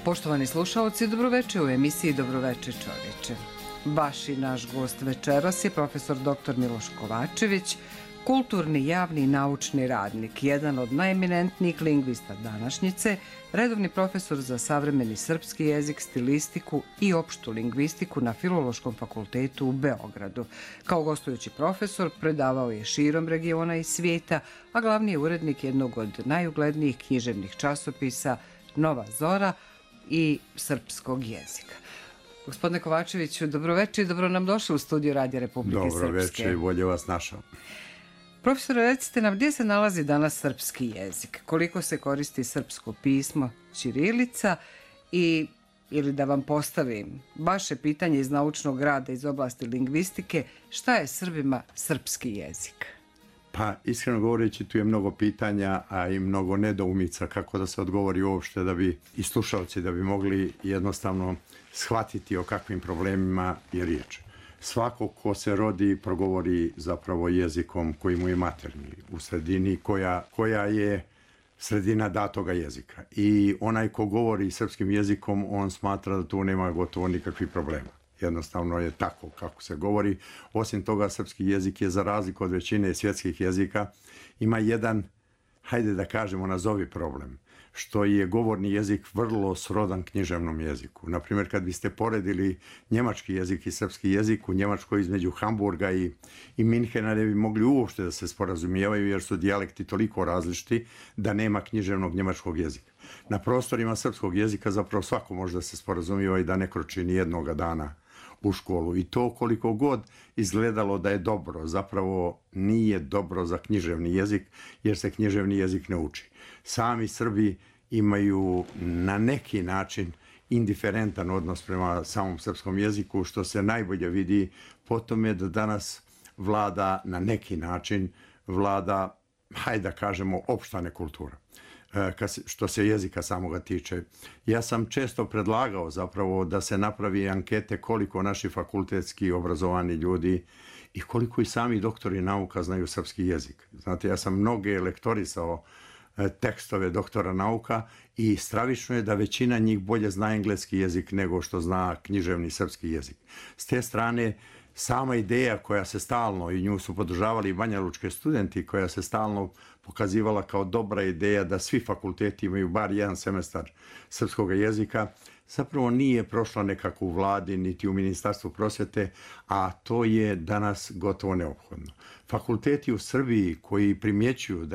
Poštovani slušaoci, dobroveče u emisiji Dobroveče čoveče. Vaš i naš gost večeras je profesor dr. Miloš Kovačević, kulturni, javni i naučni radnik, jedan od najeminentnijih lingvista današnjice, redovni profesor za savremeni srpski jezik, stilistiku i opštu lingvistiku na Filološkom fakultetu u Beogradu. Kao gostujući profesor predavao je širom regiona i svijeta, a glavni je urednik jednog od najuglednijih književnih časopisa Nova Zora i srpskog jezika. Gospodine Kovačeviću, dobroveče i dobro nam došli u studiju Radija Republike Srpske. Dobroveče i bolje vas našao. Profesore, recite nam gdje se nalazi danas srpski jezik, koliko se koristi srpsko pismo, ćirilica ili da vam postavim vaše pitanje iz naučnog rada iz oblasti lingvistike, šta je Srbima srpski jezik? Pa, iskreno govoreći, tu je mnogo pitanja, a i mnogo nedoumica kako da se odgovori uopšte da bi i slušalci da bi mogli jednostavno shvatiti o kakvim problemima je riječ. Svako ko se rodi progovori zapravo jezikom koji mu je materni u sredini koja je sredina datoga jezika. I onaj ko govori srpskim jezikom, on smatra da tu nema gotovo nikakvih problema. Jednostavno je tako kako se govori. Osim toga, srpski jezik je za razliku od većine svjetskih jezika ima jedan, hajde da kažemo, nazovi problem, što je govorni jezik vrlo srodan književnom jeziku. Naprimjer, kad biste poredili njemački jezik i srpski jezik, u Njemačkoj između Hamburga i Minhena ne bi mogli uopšte da se sporazumijevaju jer su dijalekti toliko različiti da nema književnog njemačkog jezika. Na prostorima srpskog jezika zapravo svako može da se sporazumijeva i da ne kroči ni jednoga dana u školu. I to koliko god izgledalo da je dobro, zapravo nije dobro za književni jezik jer se književni jezik ne uči. Sami Srbi imaju na neki način indiferentan odnos prema samom srpskom jeziku, što se najbolje vidi po tome da danas vlada na neki način, hajde da kažemo, opšta nekultura. Što se jezika samoga tiče. Ja sam često predlagao zapravo da se napravi ankete koliko naši fakultetski obrazovani ljudi i koliko i sami doktori nauka znaju srpski jezik. Znate, ja sam mnoge lektorisao tekstove doktora nauka i stravično je da većina njih bolje zna engleski jezik nego što zna književni srpski jezik. S te strane, sama ideja koja se stalno, i nju su podržavali i banjalučki studenti, koja se stalno pokazivala kao dobra ideja da svi fakulteti imaju bar jedan semestar srpskog jezika, zapravo nije prošla nekako u vladi niti u Ministarstvu prosvjete, a to je danas gotovo neophodno. Fakulteti u Srbiji koji primjećuju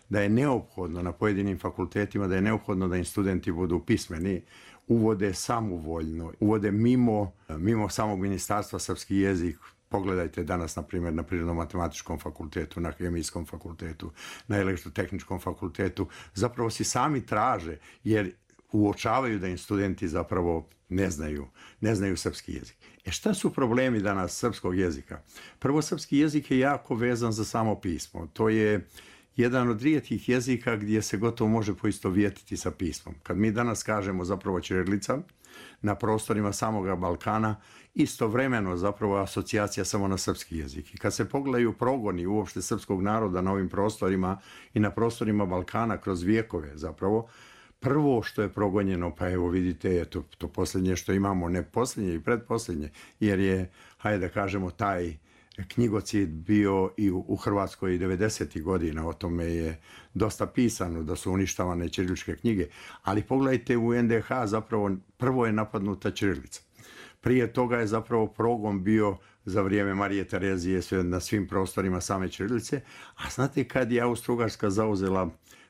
da je neophodno na pojedinim fakultetima, da je neophodno da im studenti budu pismeni, uvode samovoljno, uvode mimo samog ministarstva srpski jezik. Pogledajte danas, na primjer, na Prirodno-matematičkom fakultetu, na Hemijskom fakultetu, na Elektrotehničkom fakultetu. Zapravo si sami traže, jer uočavaju da im studenti zapravo ne znaju srpski jezik. Šta su problemi danas srpskog jezika? Prvo, srpski jezik je jako vezan za samo pismo. To je jedan od rijetkih jezika gdje se gotovo može poistovjetiti sa pismom. Kad mi danas kažemo zapravo ćirilica na prostorima samoga Balkana, istovremeno zapravo asocijacija samo na srpski jezik. I kad se pogledaju progoni uopšte srpskog naroda na ovim prostorima i na prostorima Balkana kroz vijekove zapravo, prvo što je progonjeno, pa evo vidite, je to posljednje što imamo, ne posljednje i predposljednje, jer je, hajde da kažemo, taj knjigocid bio i u Hrvatskoj 90. godina, o tome je dosta pisano da su uništavane ćiriličke knjige, ali pogledajte u NDH zapravo prvo je napadnuta ćirilica. Prije toga je zapravo progon bio za vrijeme Marije Terezije na svim prostorima same ćirilice, a znate kad je Austro-Ugarska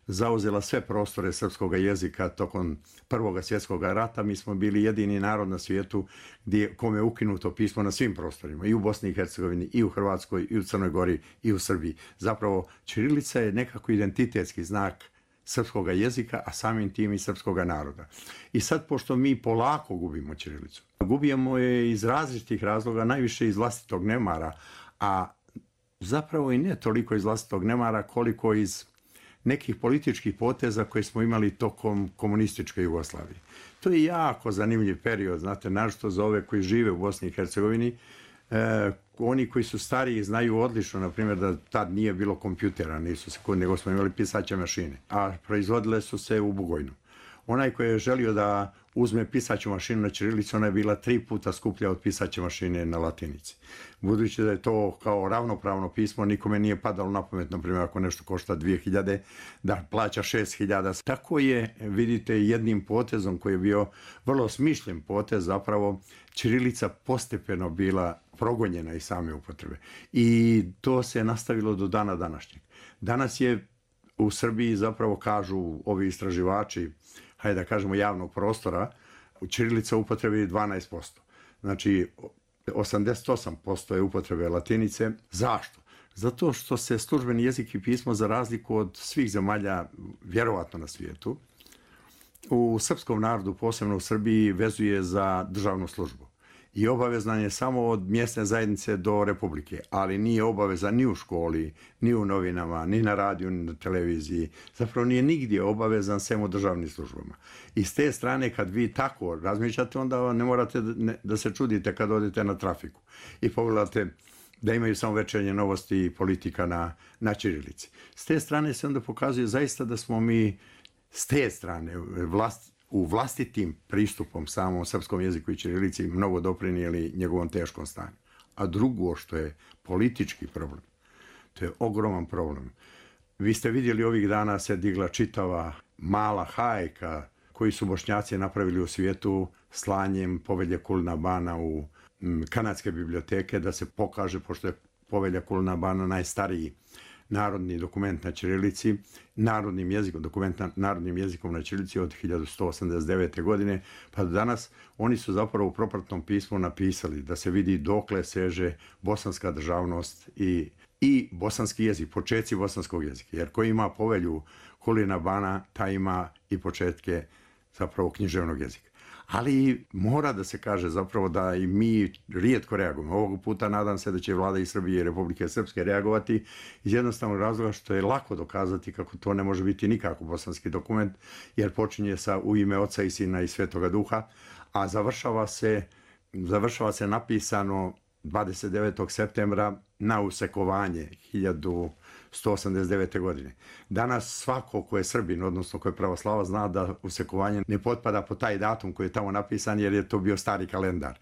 zauzela sve prostore srpskog jezika tokom Prvog svjetskog rata, mi smo bili jedini narod na svijetu kome je ukinuto pismo na svim prostorima, i u Bosni i Hercegovini, i u Hrvatskoj, i u Crnoj Gori, i u Srbiji. Zapravo, ćirilica je nekako identitetski znak srpskog jezika, a samim tim i srpskog naroda. I sad, pošto mi polako gubimo ćirilicu, gubimo je iz različitih razloga, najviše iz vlastitog nemara, a zapravo i ne toliko iz vlastitog nemara koliko iz nekih političkih poteza koje smo imali tokom komunističke Jugoslavije. To je jako zanimljiv period, znate, naročito za ove koji žive u Bosni i Hercegovini. Oni koji su stariji znaju odlično, na primjer, da tad nije bilo kompjutera, nego smo imali pisaće mašine, a proizvodile su se u Bugojnu. Onaj koji je želio da uzme pisaću mašinu na ćirilici, ona je bila 3 puta skuplja od pisaće mašine na latinici. Budući da je to kao ravnopravno pismo, nikome nije padalo na pamet, na primjer, ako nešto košta 2000, da plaća 6000. Tako je, vidite, jednim potezom koji je bio vrlo smišljen potez, zapravo ćirilica postepeno bila progonjena iz same upotrebe. I to se nastavilo do dana današnjeg. Danas je u Srbiji, zapravo kažu ovi istraživači, hajde da kažemo javnog prostora, ćirilica upotrebi 12%. Znači, 88% je upotrebe latinice. Zašto? Zato što se službeni jezik i pismo, za razliku od svih zemalja, vjerovatno na svijetu, u srpskom narodu, posebno u Srbiji, vezuje za državnu službu. I obavezan je samo od mjesne zajednice do republike, ali nije obavezan ni u školi, ni u novinama, ni na radiju, ni na televiziji. Zapravo nije nigdje obavezan sem u državnim službama. I s te strane, kad vi tako razmišljate, onda ne morate da se čudite kad odete na trafiku i pogledate da imaju samo večernje novosti i politika na ćirilici. S te strane se onda pokazuje zaista da smo mi s te strane u vlastitim pristupom samom srpskom jeziku i ćirilici mnogo doprinijeli njegovom teškom stanju. A drugo što je politički problem, to je ogroman problem. Vi ste vidjeli, ovih dana se digla čitava mala hajka koji su Bošnjaci napravili u svijetu slanjem povelje Kulina Bana u kanadske biblioteke, da se pokaže, pošto je povelja Kulina Bana najstariji narodni dokument na ćirilici, narodnim jezikom, dokument narodnim jezikom na ćirilici od 1189. godine, pa do danas oni su zapravo u propratnom pismu napisali da se vidi dokle seže bosanska državnost i bosanski jezik, početci bosanskog jezika. Jer ko ima povelju Kulina Bana, taj ima i početke zapravo književnog jezika. Ali mora da se kaže zapravo da i mi rijetko reagujemo. Ovog puta nadam se da će vlada i Srbije i Republike Srpske reagovati iz jednostavnog razloga što je lako dokazati kako to ne može biti nikako bosanski dokument, jer počinje sa u ime Oca i Sina i Svetoga Duha, a završava se napisano 29. septembra na usekovanje 1189. godine. Danas svako ko je Srbin, odnosno ko je pravoslava, zna da usekovanje ne potpada po taj datum koji je tamo napisan, jer je to bio stari kalendar.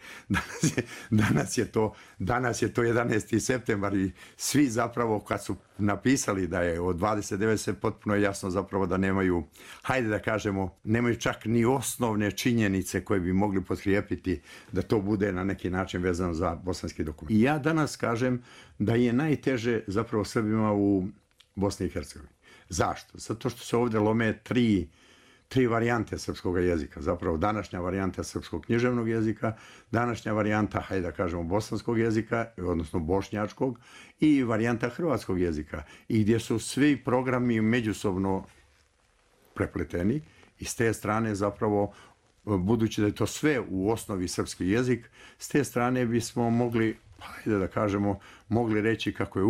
Danas je to 11. septembar i svi zapravo kad su napisali da je od 29. se potpuno jasno zapravo da nemaju, hajde da kažemo, nemaju čak ni osnovne činjenice koje bi mogli potkrijepiti da to bude na neki način vezano za bosanski dokument. I ja danas kažem da je najteže zapravo Srbima u Bosni i Hercegovini. Zašto? Zato što se ovdje lome tri varijante srpskog jezika. Zapravo današnja varijanta srpskog književnog jezika, današnja varijanta, hajde da kažemo, bosanskog jezika, odnosno bošnjačkog, i varijanta hrvatskog jezika. I gdje su svi programi međusobno prepleteni i s te strane zapravo, budući da je to sve u osnovi srpski jezik, s te strane bismo mogli, hajde da kažemo, mogli reći kako je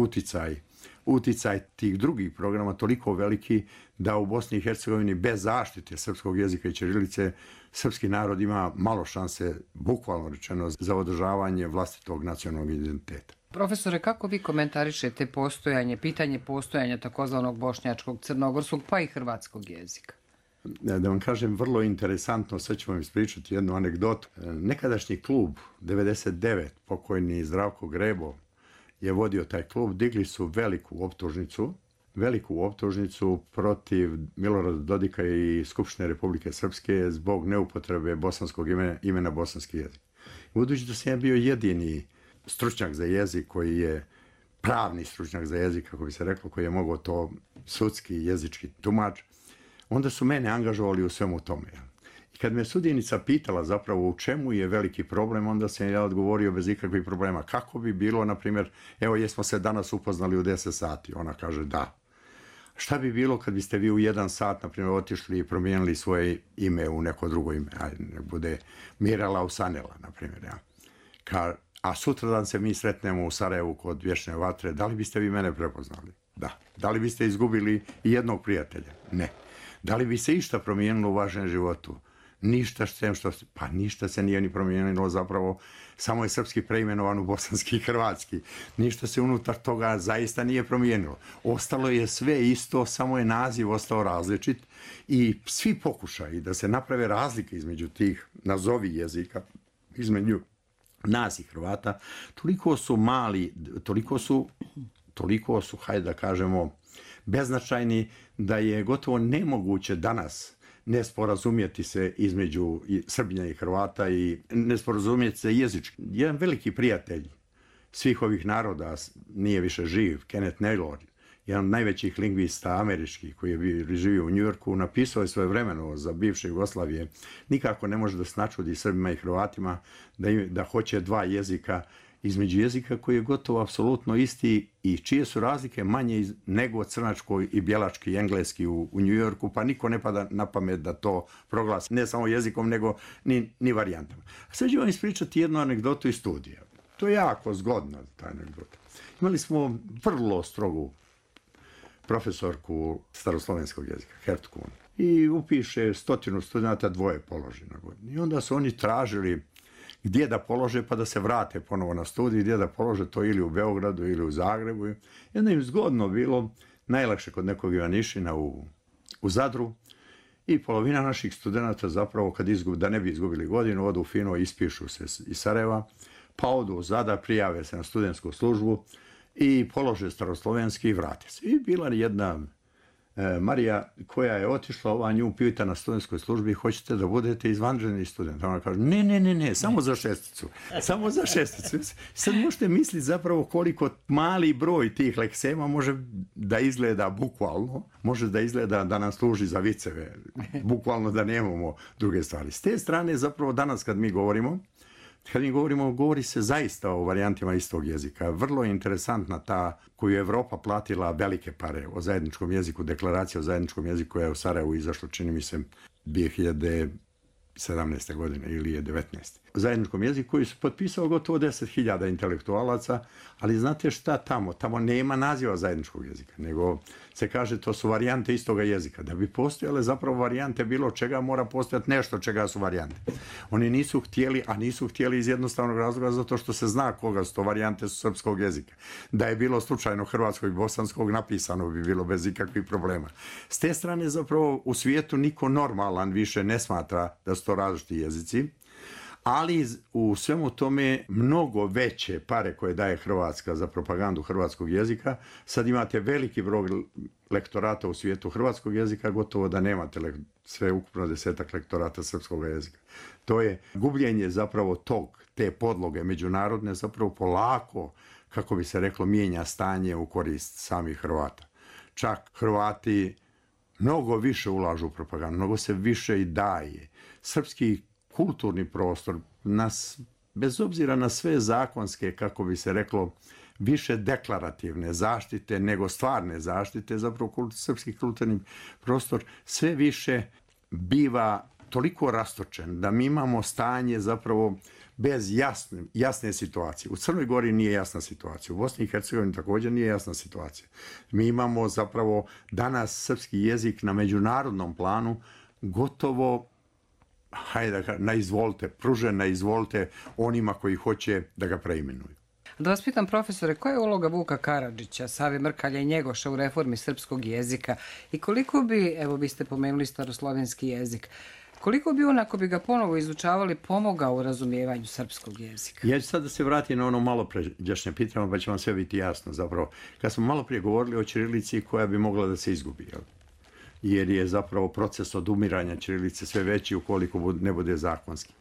uticaj tih drugih programa toliko veliki da u Bosni i Hercegovini bez zaštite srpskog jezika i ćirilice srpski narod ima malo šanse, bukvalno rečeno, za održavanje vlastitog nacionalnog identiteta. Profesore, kako vi komentarišete pitanje postojanja takozvanog bošnjačkog, crnogorskog pa i hrvatskog jezika? Da vam kažem, vrlo interesantno, sad ću vam ispričati jednu anegdotu. Nekadašnji klub 99, pokojni Zdravko Grebo, je vodio taj klub. Digli su veliku optužnicu protiv Milorada Dodika i Skupštine Republike Srpske zbog neupotrebe bosanskog imena bosanski jezik. Budući da sam ja bio jedini stručnjak za jezik koji je pravni stručnjak za jezik, kako bi se reklo, koji je mogao to sudski jezički tumač, onda su mene angažovali u svemu tome. I kad me sudjenica pitala zapravo u čemu je veliki problem, onda sam ja odgovorio bez ikakvih problema. Kako bi bilo, na primjer, evo jesmo se danas upoznali u 10 sati. Ona kaže da. Šta bi bilo kad biste vi u 1 sat, na primjer, otišli i promijenili svoje ime u neko drugo ime? Ajde, nek bude Mirala Usanela, na primjer. Ja. A sutradan se mi sretnemo u Sarajevu kod Vječne vatre. Da li biste vi mene prepoznali? Da. Da li biste izgubili i jednog prijatelja? Ne. Da li bi se išta promijenilo u vašem životu? Ništa pa ništa se nije ni promijenilo zapravo, samo je srpski preimenovan u bosanski i hrvatski. Ništa se unutar toga zaista nije promijenilo. Ostalo je sve isto, samo je naziv ostao različit i svi pokušaji da se naprave razlike između tih nazovi jezika, između nas i Hrvata, toliko su mali, toliko su, hajde da kažemo, beznačajni da je gotovo nemoguće danas ne sporazumjeti se između Srbija i Hrvata i ne sporazumjeti se jezički. Jedan veliki prijatelj svih ovih naroda nije više živ, Kenneth Naylor, jedan od najvećih lingvista američkih koji je živio u Njujorku, napisao je svojevremeno za bivše Jugoslavije. Nikako ne može da se načudi Srbima i Hrvatima da hoće dva jezika između jezika koji je gotovo apsolutno isti i čije su razlike manje nego crnački i bjelački i engleski u Njujorku, pa niko ne pada na pamet da to proglasi ne samo jezikom, nego ni varijantama. A sad ću vam ispričati jednu anegdotu iz studija. To je jako zgodna ta anegdota. Imali smo vrlo strogu profesorku staroslovenskog jezika, Hertu Kuhn, i upiše 100 studenta, 2 položi na godinu. I onda su oni tražili gdje da polože pa da se vrate ponovo na studij, gdje da polože to ili u Beogradu ili u Zagrebu. I onda im zgodno bilo, najlakše kod nekog Ivanišina u Zadru, i polovina naših studenta zapravo da ne bi izgubili godinu, odu fino, ispišu se iz Sarajeva, pa odu u Zadar, prijave se na studentsku službu i polože staroslovenski i vrate se. I bila jedna Marija koja je otišla, nju pita na studentskoj službi, hoćete da budete izvanredni student? Ona kaže, ne, samo za šesticu. Samo za šesticu. Sad možete misliti zapravo koliko mali broj tih leksema može da izgleda bukvalno, može da izgleda da nam služi za viceve, bukvalno da nemamo druge stvari. S te strane zapravo danas kad mi govorimo, govori se zaista o varijantima istog jezika. Vrlo je interesantna ta koju je Evropa platila velike pare o zajedničkom jeziku, deklaracija o zajedničkom jeziku koja je u Sarajevu izašla, čini mi se, 2017. godine ili je 19. O zajedničkom jeziku koji su potpisao gotovo 10.000 intelektualaca, ali znate šta tamo? Tamo nema naziva zajedničkog jezika, nego se kaže to su varijante istoga jezika. Da bi postojale zapravo varijante bilo čega, mora postojati nešto čega su varijante. Oni nisu htjeli iz jednostavnog razloga zato što se zna koga su to varijante srpskog jezika. Da je bilo slučajno hrvatskog i bosanskog, napisano bi bilo bez ikakvih problema. S te strane zapravo u svijetu niko normalan više ne smatra da su to različiti jezici, ali u svemu tome mnogo veće pare koje daje Hrvatska za propagandu hrvatskog jezika. Sad imate veliki broj lektorata u svijetu hrvatskog jezika, gotovo da nemate sve ukupno 10 lektorata srpskog jezika. To je gubljenje zapravo te podloge međunarodne, zapravo polako, kako bi se reklo, mijenja stanje u korist samih Hrvata. Čak Hrvati mnogo više ulažu u propagandu, mnogo se više i daje. Srpski kulturni prostor nas, bez obzira na sve zakonske, kako bi se reklo, više deklarativne zaštite nego stvarne zaštite, zapravo srpski kulturni prostor sve više biva toliko rastočen da mi imamo stanje zapravo bez jasne situacije. U Crnoj Gori nije jasna situacija, u Bosni i Hercegovini također nije jasna situacija. Mi imamo zapravo danas srpski jezik na međunarodnom planu gotovo pružen na izvolite onima koji hoće da ga preimenuju. Da vas pitam, profesore, koja je uloga Vuka Karadžića, Save Mrkalja i Njegoša u reformi srpskog jezika i koliko bi, evo vi ste pomenuli staroslovenski jezik, koliko bi on, ako bi ga ponovo izučavali, pomogao u razumijevanju srpskog jezika? Ja ću sad da se vratim na ono malo pređašnje pitanje, pa će vam sve biti jasno zapravo. Kad smo malo prije govorili o ćirilici koja bi mogla da se izgubi, jer je zapravo proces odumiranja ćirilice sve veći ukoliko ne bude zakonski.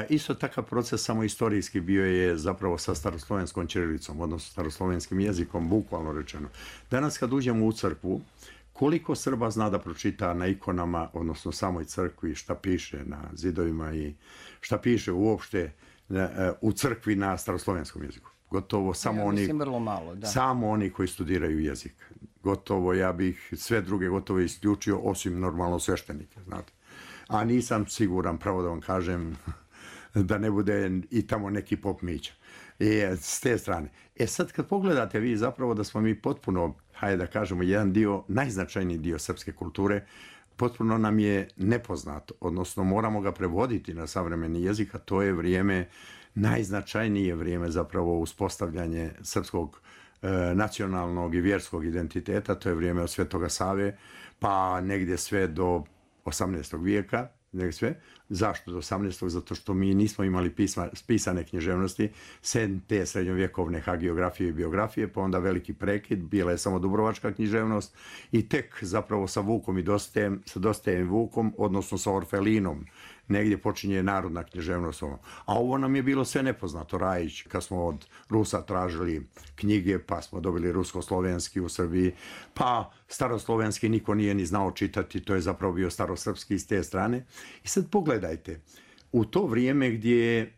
Isto takav proces samo istorijski bio je zapravo sa staroslovenskom ćirilicom, odnosno staroslovenskim jezikom, bukvalno rečeno. Danas kad uđemo u crkvu, koliko Srba zna da pročita na ikonama, odnosno samoj crkvi, šta piše na zidovima i šta piše uopšte u crkvi na staroslovenskom jeziku? Gotovo samo oni koji studiraju jezik. Gotovo, ja bih sve druge gotovo isključio, osim normalno sveštenike, znate. A nisam siguran, pravo da vam kažem, da ne bude i tamo neki pop Mića. S te strane. Sad kad pogledate vi zapravo da smo mi potpuno, hajde da kažemo, jedan dio, najznačajniji dio srpske kulture, potpuno nam je nepoznato, odnosno moramo ga prevoditi na savremeni jezik, a to je vrijeme, najznačajnije vrijeme zapravo uspostavljanje srpskog nacionalnog i vjerskog identiteta, to je vrijeme od Svetoga Save, pa negdje sve do 18. vijeka, sve. Zašto do 18. Zato što mi nismo imali pisane književnosti, sem te srednjovjekovne hagiografije i biografije, pa onda veliki prekid, bila je samo dubrovačka književnost i tek zapravo sa Vukom i sa Dostajem Vukom, odnosno sa Orfelinom, negdje počinje narodna književnost. A ovo nam je bilo sve nepoznato. Rajić, kad smo od Rusa tražili knjige, pa smo dobili rusko-slovenski u Srbiji, pa staroslovenski niko nije ni znao čitati, to je zapravo bio starosrpski s te strane. I sad pogledajte, u to vrijeme gdje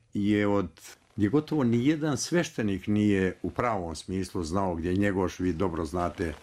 gotovo nijedan sveštenik nije u pravom smislu znao, gdje Njegoš, vi dobro znate,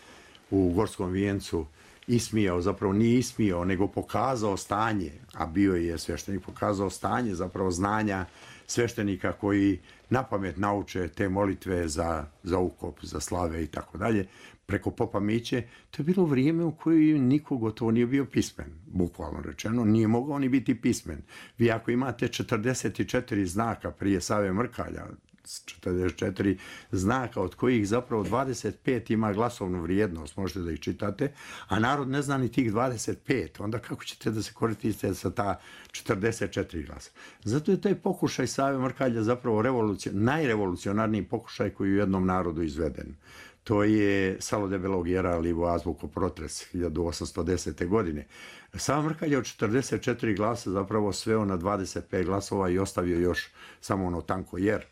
u Gorskom vijencu ismijao, zapravo nije ismijao, nego pokazao stanje, a bio je sveštenik, pokazao stanje zapravo znanja sveštenika koji napamet nauče te molitve za ukop, za slave i tako dalje, preko popa Miće. To je bilo vrijeme u kojem niko gotovo nije bio pismen, bukvalno rečeno, nije mogao ni biti pismen. Vi ako imate 44 znaka prije Save Mrkalja, 44 znaka, od kojih zapravo 25 ima glasovnu vrijednost, možete da ih čitate, a narod ne zna ni tih 25, onda kako ćete da se koristite sa ta 44 glasa? Zato je taj pokušaj Save Mrkalja zapravo najrevolucionarniji pokušaj koji je u jednom narodu izveden. To je Salo debelog jera livo azbuko protres 1810. godine. Sava Mrkalj je od 44 glasa zapravo sveo na 25 glasova i ostavio još samo ono tanko jer.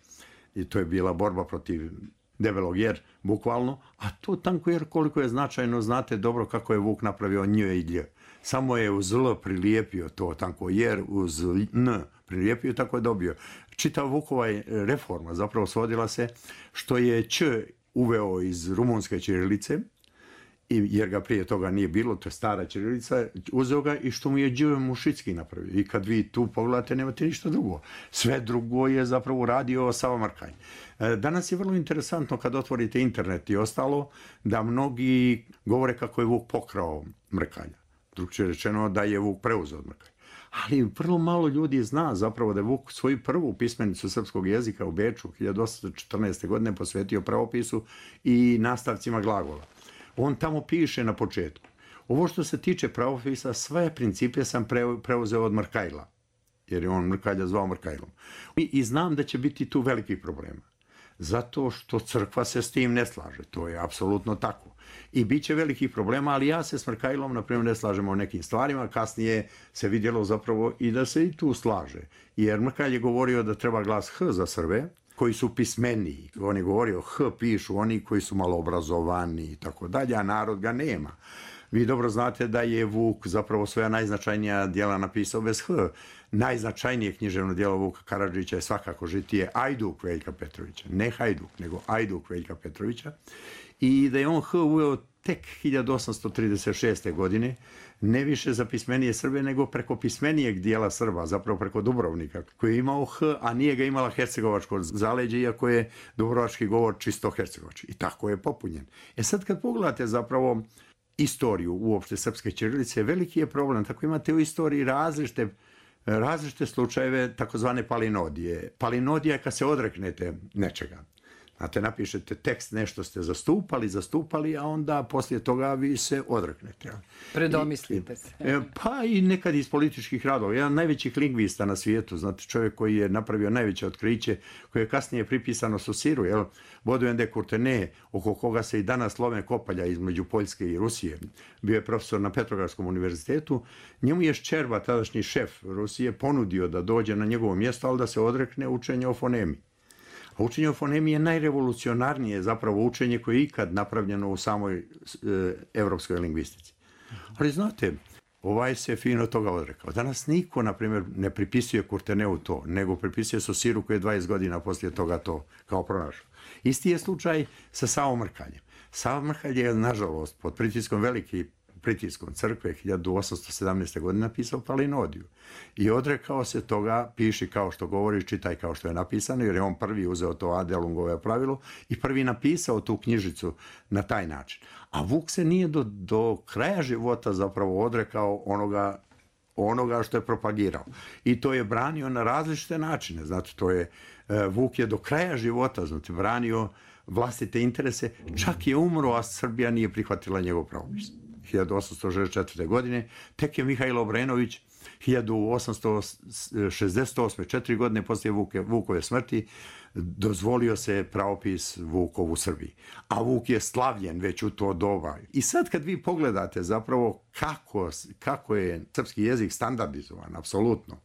I to je bila borba protiv debelog jer, bukvalno. A to tanko jer koliko je značajno, znate dobro kako je Vuk napravio nj i lj. Samo je uz l prilijepio to tanko jer, uz n prilijepio, tako je dobio. Čitav Vukova reforma zapravo svodila se što je ć uveo iz rumunske ćirilice, jer ga prije toga nije bilo, to je stara ćirilica, uzeo ga i što mu je Đ Mušicki napravio. I kad vi tu pogledate, nemate ništa drugo. Sve drugo je zapravo radio Sava Mrkalj. Danas je vrlo interesantno kad otvorite internet i ostalo, da mnogi govore kako je Vuk pokrao Mrkalja. Drugčije rečeno da je Vuk preuzeo od Mrkalja. Ali vrlo malo ljudi zna zapravo da je Vuk svoju prvu pismenicu srpskog jezika u Beču 1814. godine posvetio pravopisu i nastavcima glagola. On tamo piše na početku: ovo što se tiče pravopisa, sve principe sam preuzeo od Mrkajla, jer je on Mrkalja zvao Mrkajlom. I znam da će biti tu velikih problema, zato što crkva se s tim ne slaže, to je apsolutno tako. I bit će velikih problema, ali ja se s Mrkajlom, na primjer, ne slažemo o nekim stvarima, kasnije se vidjelo zapravo i da se i tu slaže. Jer Mrkalj je govorio da treba glas H za Srbe, koji su pismeniji. On je govorio H pišu oni koji su malo obrazovani i tako dalje, a narod ga nema. Vi dobro znate da je Vuk zapravo svoja najznačajnija djela napisao bez H. Najznačajnije književno djelo Vuka Karadžića je svakako Žitije Ajduk Veljka Petrovića. Ne Hajduk, nego Ajduk Veljka Petrovića. I da je on H uveo tek 1836. godine, ne više za pismenije Srbe, nego preko pismenijeg dijela Srba, zapravo preko Dubrovnika, koji je imao H, a nije ga imala hercegovačko zaleđe, iako je dubrovački govor čisto hercegovački. I tako je popunjen. Sad kad pogledate zapravo istoriju uopšte srpske ćirilice, veliki je problem. Tako imate u istoriji različite slučajeve takozvane palinodije. Palinodija je kad se odreknete nečega. Znate, napišete tekst, nešto ste zastupali, a onda poslije toga vi se odreknete. Predomislite se. Pa i nekad iz političkih radova. Jedan najvećih lingvista na svijetu, znate, čovjek koji je napravio najveće otkriće, koje je kasnije pripisano Sosiru, Baudouin de Courtenay, oko koga se i danas lome kopalja između Poljske i Rusije. Bio je profesor na Petrogradskom univerzitetu. Njemu je Ščerba, tadašnji šef Rusije, ponudio da dođe na njegovo mjesto, ali da se odrekne učenja o fonemi. A učenje o fonemi je najrevolucionarnije zapravo učenje koje je ikad napravljeno u samoj evropskoj lingvistici. Ali znate, ovaj se fino toga odrekao. Danas niko, na primjer, ne pripisuje Kurteneu to, nego pripisuje Sosiru koji je 20 godina poslije toga to kao pronašao. Isti je slučaj sa Savom Mrkaljem. Sava Mrkalj je, nažalost, pod pritiskom velikih pritiskom crkve 1817. godine napisao Palinodiju. I odrekao se toga, piši kao što govori, čitaj kao što je napisano, jer je on prvi uzeo to Adelungove pravilo i prvi napisao tu knjižicu na taj način. A Vuk se nije do kraja života zapravo odrekao onoga što je propagirao. I to je branio na različite načine. Znate, Vuk je do kraja života, znate, branio vlastite interese, čak je umro, a Srbija nije prihvatila njegov pravopis. 1864. godine, tek je Mihajlo Obrenović 1868. 4 godine poslije Vukove smrti dozvolio se pravopis Vukov u Srbiji. A Vuk je slavljen već u to doba. I sad kad vi pogledate zapravo kako je srpski jezik standardizovan, apsolutno,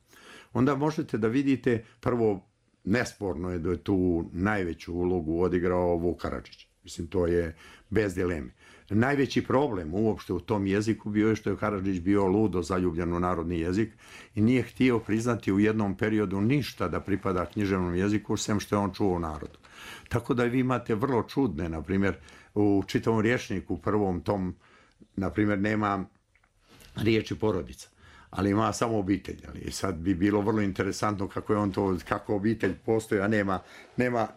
onda možete da vidite, prvo, nesporno je da je tu najveću ulogu odigrao Vuk Karadžić. Mislim, to je bez dileme. Najveći problem uopšte u tom jeziku bio je što je Karadžić bio ludo zaljubljen u narodni jezik i nije htio priznati u jednom periodu ništa da pripada književnom jeziku, sem što je on čuo u narodu. Tako da vi imate vrlo čudne, na primjer, u čitavom rječniku, u prvom tom, na primjer, nema riječi porodica, ali ima samo obitelj. Ali sad bi bilo vrlo interesantno kako obitelj postoji, a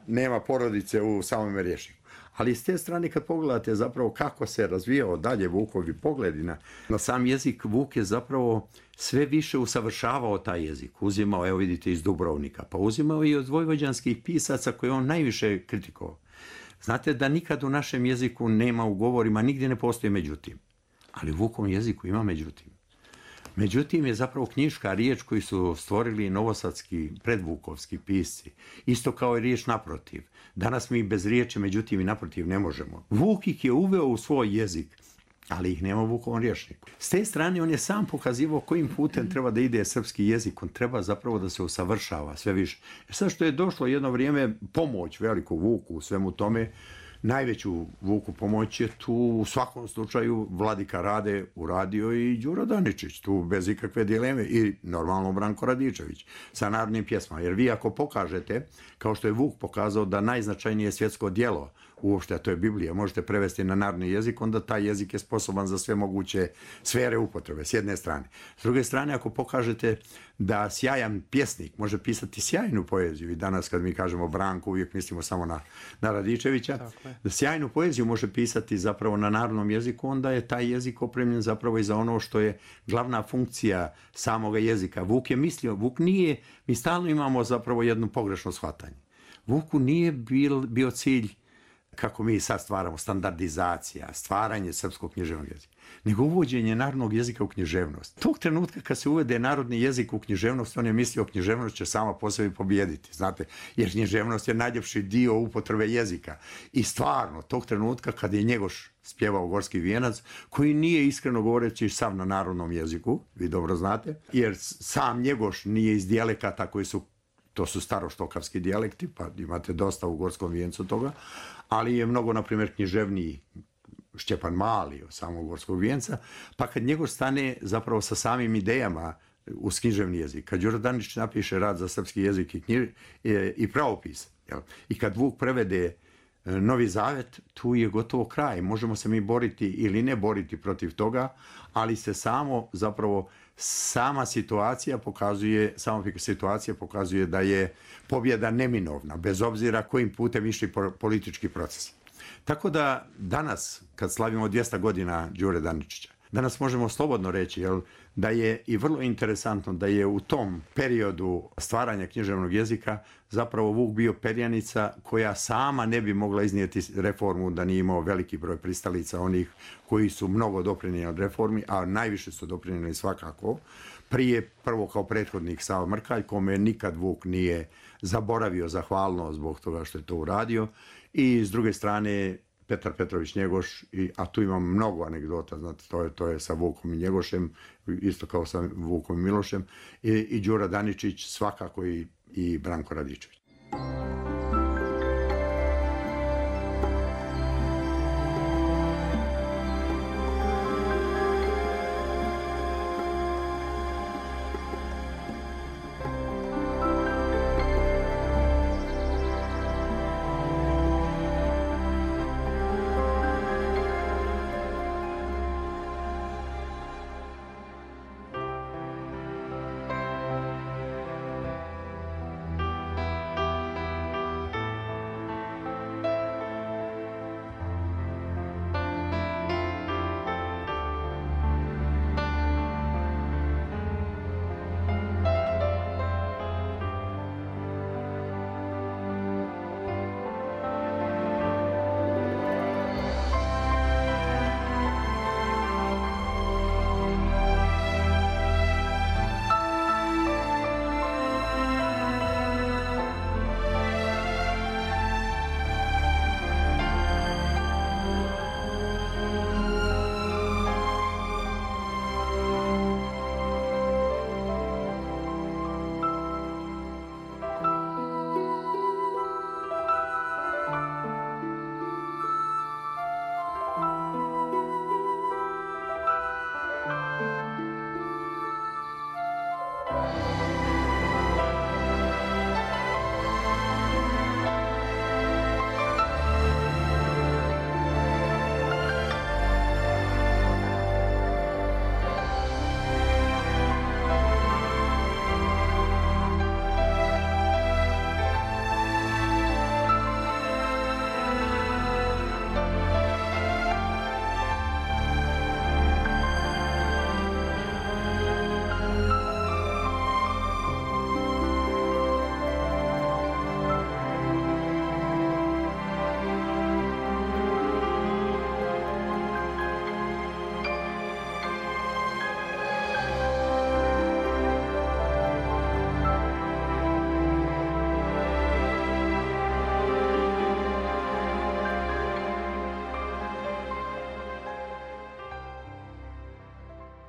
nema porodice u samom rječniku. Ali s te strane kad pogledate zapravo kako se razvijao dalje Vukovi pogledi na sam jezik, Vuk je zapravo sve više usavršavao taj jezik. Uzimao, evo vidite, iz Dubrovnika, pa uzimao i od vojvođanskih pisaca koje on najviše kritikovao. Znate da nikad u našem jeziku nema u govorima, nigdje ne postoji međutim. Ali u Vukovom jeziku ima međutim. Međutim je zapravo knjiška riječ koju su stvorili novosadski, predvukovski pisci. Isto kao i riječ naprotiv. Danas mi bez riječi međutim i naprotiv ne možemo. Vuk ih je uveo u svoj jezik, ali ih nema u Vukovom rječniku. S te strane on je sam pokazivao kojim putem treba da ide srpski jezik. On treba zapravo da se usavršava sve više. Sad što je došlo jedno vrijeme pomoć veliku Vuku u svemu tome, najveću Vuku pomoć je tu u svakom slučaju Vladika Rade uradio i Đuro Daničić, tu bez ikakve dileme, i normalno Branko Radičević sa narodnim pjesmama. Jer vi ako pokažete, kao što je Vuk pokazao da najznačajnije svjetsko djelo uopšte, a to je Biblija, možete prevesti na narodni jezik, onda taj jezik je sposoban za sve moguće sfere upotrebe, s jedne strane. S druge strane, ako pokažete da sjajan pjesnik može pisati sjajnu poeziju, i danas kad mi kažemo Branko, uvijek mislimo samo na Radičevića, da sjajnu poeziju može pisati zapravo na narodnom jeziku, onda je taj jezik opremljen zapravo i za ono što je glavna funkcija samoga jezika. Vuk je mislio, Vuk nije, mi stalno imamo zapravo jedno pogrešno shvatanje. Vuku nije bio cilj, kako mi sad stvaramo, standardizacija, stvaranje srpskog književnog jezika, nego uvođenje narodnog jezika u književnost. Tog trenutka kad se uvede narodni jezik u književnost, on je mislio književnost će sama po sebi pobijediti, znate, jer književnost je najljepši dio upotrebe jezika. I stvarno, tog trenutka kad je Njegoš spjevao Gorski vijenac, koji nije, iskreno govoreći, sav na narodnom jeziku, vi dobro znate, jer sam Njegoš nije iz dijalekata koji su, to su staroštokavski dijalekti, pa imate dosta u Gorskom vijencu toga, ali je mnogo, na primjer, književniji Šćepan Mali od samog Gorskog vijenca, pa kad njegov stane zapravo sa samim idejama uz književni jezik, kad Đuro Daničić napiše rad za srpski jezik i pravopis, i kad Vuk prevede Novi Zavet, tu je gotovo kraj. Možemo se mi boriti ili ne boriti protiv toga, ali se sama situacija pokazuje da je pobjeda neminovna, bez obzira kojim putem išli politički procesi. Tako da danas, kad slavimo 200 godina Đure Daničića, danas možemo slobodno reći da je i vrlo interesantno da je u tom periodu stvaranja književnog jezika zapravo Vuk bio perjanica koja sama ne bi mogla iznijeti reformu da nije imao veliki broj pristalica, onih koji su mnogo doprinijeli od reformi, a najviše su doprinijeli svakako. Prvo kao prethodnik Sava Mrkalj, kome nikad Vuk nije zaboravio zahvalnost zbog toga što je to uradio, i s druge strane Petar Petrović Njegoš, a tu imam mnogo anegdota, znate, to je sa Vukom i Njegošem, isto kao sa Vukom i Milošem, i Đuro Daničić, svakako i Branko Radičević.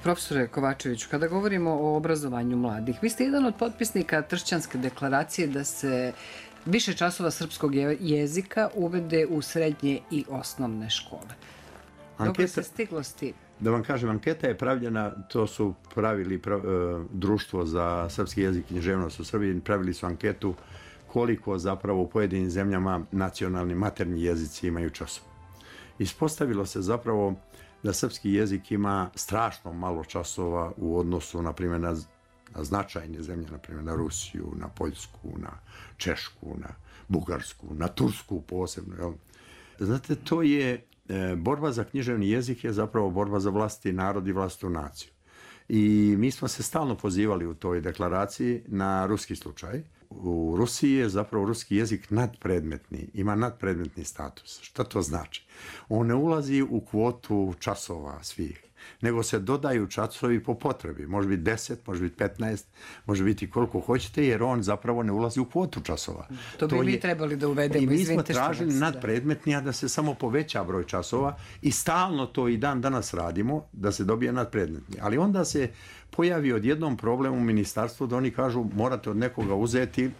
Profesore Kovačeviću, kada govorimo o obrazovanju mladih, vi ste jedan od potpisnika Tršćanske deklaracije da se više časova srpskog jezika uvede u srednje i osnovne škole. Dobro se stiglo s tim. Da vam kažem, anketa je pravljena, to su pravili Društvo za srpski jezik i književnost u Srbiji, pravili su anketu koliko zapravo u pojedinim zemljama nacionalni maternji jezici imaju časova. Ispostavilo se zapravo da srpski jezik ima strašno malo časova u odnosu, na primjer, na značajne zemlje, na primjer na Rusiju, na Poljsku, na Češku, na Bugarsku, na Tursku posebno. Jel? Znate, to je borba za književni jezik je zapravo borba za vlastiti narod i vlastitu naciju. I mi smo se stalno pozivali u toj deklaraciji na ruski slučaj. U Rusiji je zapravo ruski jezik nadpredmetni, ima nadpredmetni status. Šta to znači? On ne ulazi u kvotu časova svih, nego se dodaju časovi po potrebi. Može biti 10, može biti 15, može biti koliko hoćete, jer on zapravo ne ulazi u kvotu časova. To bi mi trebali da uvedemo. I mi smo tražili nadpredmetni, a da se samo poveća broj časova i stalno to i dan danas radimo, da se dobije nadpredmetni. Ali onda se pojavi odjednom problem u ministarstvu da oni kažu morate od nekoga uzeti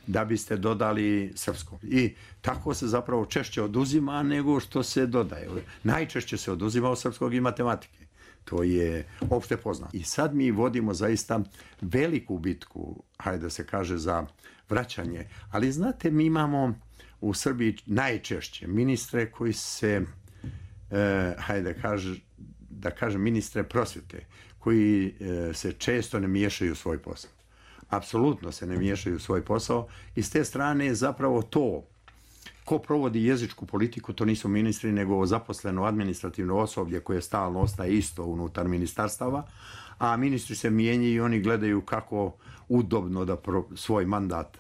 da biste dodali srpsko. I tako se zapravo češće oduzima nego što se dodaje. Najčešće se oduzima od srpskog i matematike. To je opšte poznato. I sad mi vodimo zaista veliku bitku, hajde da se kaže, za vraćanje. Ali znate, mi imamo u Srbiji najčešće ministre koji se, hajde da kažem, ministre prosvete, koji se često ne miješaju u svoj posao. Apsolutno se ne miješaju u svoj posao i s te strane je zapravo to ko provodi jezičku politiku, to nisu ministri, nego zaposleno administrativno osoblje koje stalno ostaje isto unutar ministarstava, a ministri se mijenjaju i oni gledaju kako udobno da svoj mandat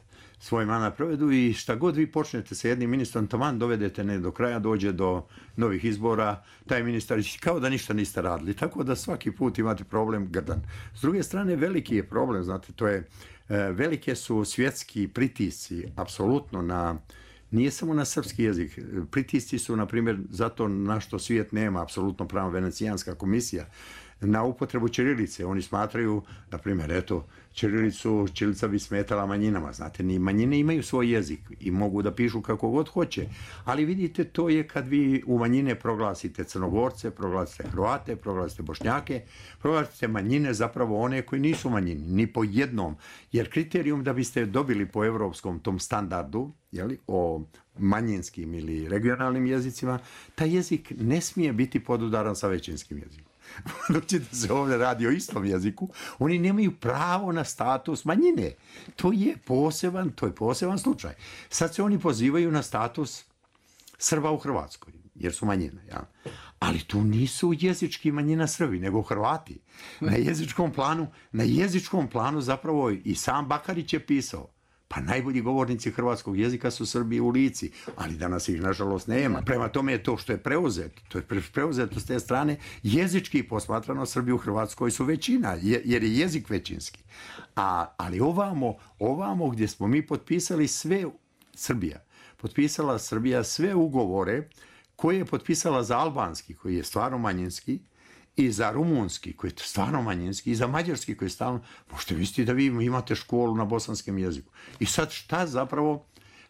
provedu i šta god vi počnete sa jednim ministrom, taman dovedete ne do kraja, dođe do novih izbora, taj ministar kao da ništa niste radili, tako da svaki put imate problem grdan. S druge strane, veliki je problem, znate, to je, velike su svjetski pritisci, apsolutno nije samo na srpski jezik, pritisci su, na primjer, zato na što svijet nema apsolutno pravo Venecijanska komisija, na upotrebu ćirilice. Oni smatraju, na primjer, eto, ćirilica bi smetala manjinama. Znate, manjine imaju svoj jezik i mogu da pišu kako god hoće. Ali vidite, to je kad vi u manjine proglasite Crnogorce, proglasite Hrvate, proglasite Bošnjake, proglasite manjine, zapravo one koji nisu manjini, ni po jednom. Jer kriterijum da biste dobili po evropskom tom standardu, o manjinskim ili regionalnim jezicima, taj jezik ne smije biti podudaran sa većinskim jezikom. Budući da se ovdje radi o istom jeziku, oni nemaju pravo na status manjine. To je poseban slučaj. Sad se oni pozivaju na status Srba u Hrvatskoj, jer su manjine. Ja. Ali tu nisu jezički manjina Srbi, nego Hrvati. Na jezičkom planu zapravo i sam Bakarić je pisao. Pa najbolji govornici hrvatskog jezika su Srbi u Lici, ali danas ih nažalost nema. Prema tome je to što je preuzeto. To je preuzeto s te strane. Jezički posmatrano Srbi u Hrvatskoj su većina, jer je jezik većinski. Ali ovamo gdje smo mi potpisali sve, potpisala Srbija sve ugovore koje je potpisala za albanski, koji je stvarno manjinski, i za rumunski, koji je stvarno manjinski, i za mađarski, koji je stalno... Možete misliti da vi imate školu na bosanskom jeziku. I sad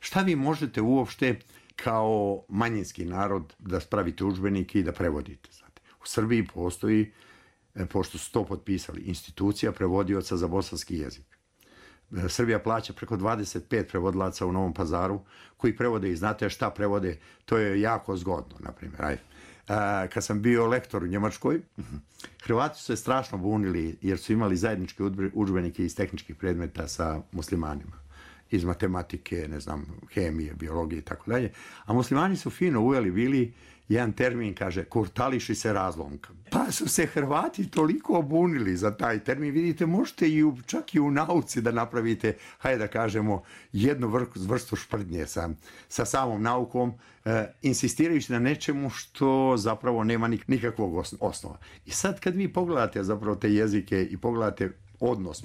šta vi možete uopšte kao manjinski narod da spravite udžbenike i da prevodite? Znate? U Srbiji postoji, pošto su to potpisali, institucija prevodioca za bosanski jezik. Srbija plaća preko 25 prevodilaca u Novom Pazaru koji prevode i znate šta prevode, to je jako zgodno, na primjer. Ajde. Kad sam bio lektor u Njemačkoj, Hrvati su se strašno bunili jer su imali zajedničke udžbenike iz tehničkih predmeta sa muslimanima. Iz matematike, ne znam, hemije, biologije i tako dalje. A muslimani su fino uveli bili jedan termin, kaže, kurtališi se razlomka. Pa su se Hrvati toliko bunili za taj termin. Vidite, možete čak i u nauci da napravite, hajde da kažemo, jednu vrstu šprdnje sa samom naukom, insistirajući na nečemu što zapravo nema nikakvog osnova. I sad kad vi pogledate zapravo te jezike i pogledate odnos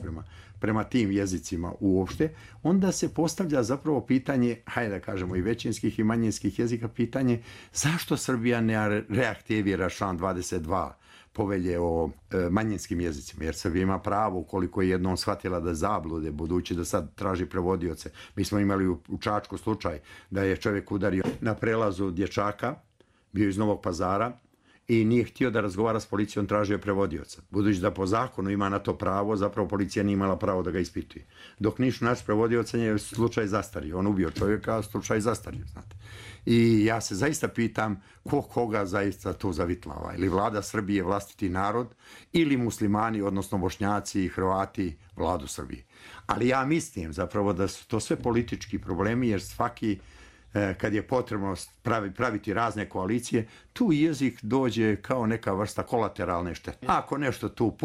prema tim jezicima uopšte, onda se postavlja zapravo pitanje, hajde da kažemo i većinskih i manjinskih jezika, pitanje zašto Srbija ne reaktivira član 22 povelje o manjinskim jezicima, jer Srbija ima pravo, ukoliko je jednom shvatila da zablude, budući da sad traži prevodioce. Mi smo imali u Čačku slučaj da je čovjek udario na prelazu dječaka, bio iz Novog Pazara, i nije htio da razgovara s policijom, tražio prevodioca. Budući da po zakonu ima na to pravo, zapravo policija nije imala pravo da ga ispituje. Dok nisu naći prevodioca, je slučaj zastario. On ubio čovjeka, slučaj zastario, znate. I ja se zaista pitam koga zaista to zavitlava. Ili vlada Srbije vlastiti narod, ili muslimani, odnosno Bošnjaci i Hrvati, vladu Srbije. Ali ja mislim zapravo da su to sve politički problemi, jer svaki kad je potrebno praviti razne koalicije, tu jezik dođe kao neka vrsta kolateralne štete. Ako nešto tu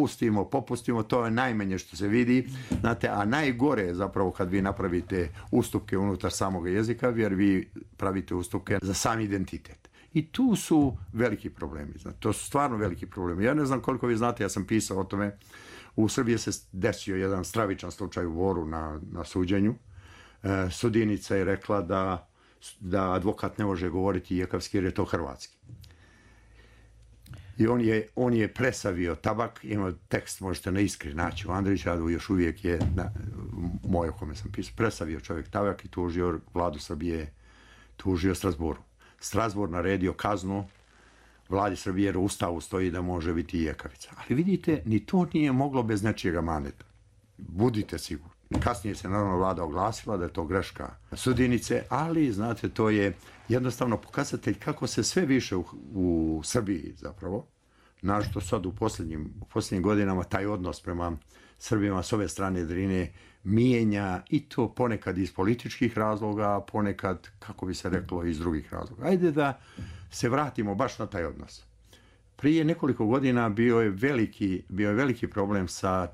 popustimo, to je najmanje što se vidi, znate, a najgore je zapravo kad vi napravite ustupke unutar samog jezika, jer vi pravite ustupke za sam identitet. I tu su veliki problemi, znate, to su stvarno veliki problemi. Ja ne znam koliko vi znate, ja sam pisao o tome, u Srbiji se desio jedan stravičan slučaj u Boru na suđenju. Sudjenica je rekla da advokat ne može govoriti jekavski jer je to hrvatski. I on je presavio tabak, ima tekst, možete na Iskri naći u Andrićadu, još uvijek je moj o kome sam pisao, presavio čovjek tabak i tužio vladu Srbije, tužio Strasbourg. Strasbourg naredio kaznu vladi Srbije jer u Ustavu stoji da može biti jekavica. Ali vidite, ni to nije moglo bez nečijega maneta. Budite sigurni. Kasnije se naravno vlada oglasila da je to greška sudinice, ali znate, to je jednostavno pokazatelj kako se sve više u Srbiji zapravo, našto sad u posljednjim godinama taj odnos prema Srbima s ove strane Drine mijenja, i to ponekad iz političkih razloga, ponekad, kako bi se reklo, iz drugih razloga. Ajde da se vratimo baš na taj odnos. Prije nekoliko godina bio je veliki problem sa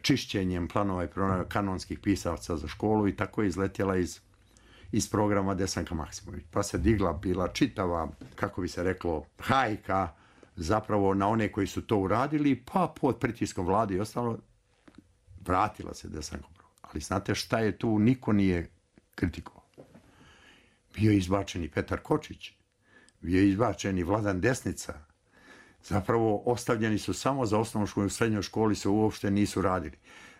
čišćenjem planova i programa kanonskih pisavaca za školu, i tako je izletjela iz programa Desanka Maksimović. Pa se bila čitava, kako bi se reklo, hajka zapravo na one koji su to uradili, pa pod pritiskom vlade i ostalo vratila se Desanka. Ali znate šta je tu, niko nije kritikovao. Bio je izbačen i Petar Kočić, bio je izbačen i Vladan Desnica. Zapravo ostavljeni su samo za osnovnu školu i srednjoj školi, se uopšte nisu radili.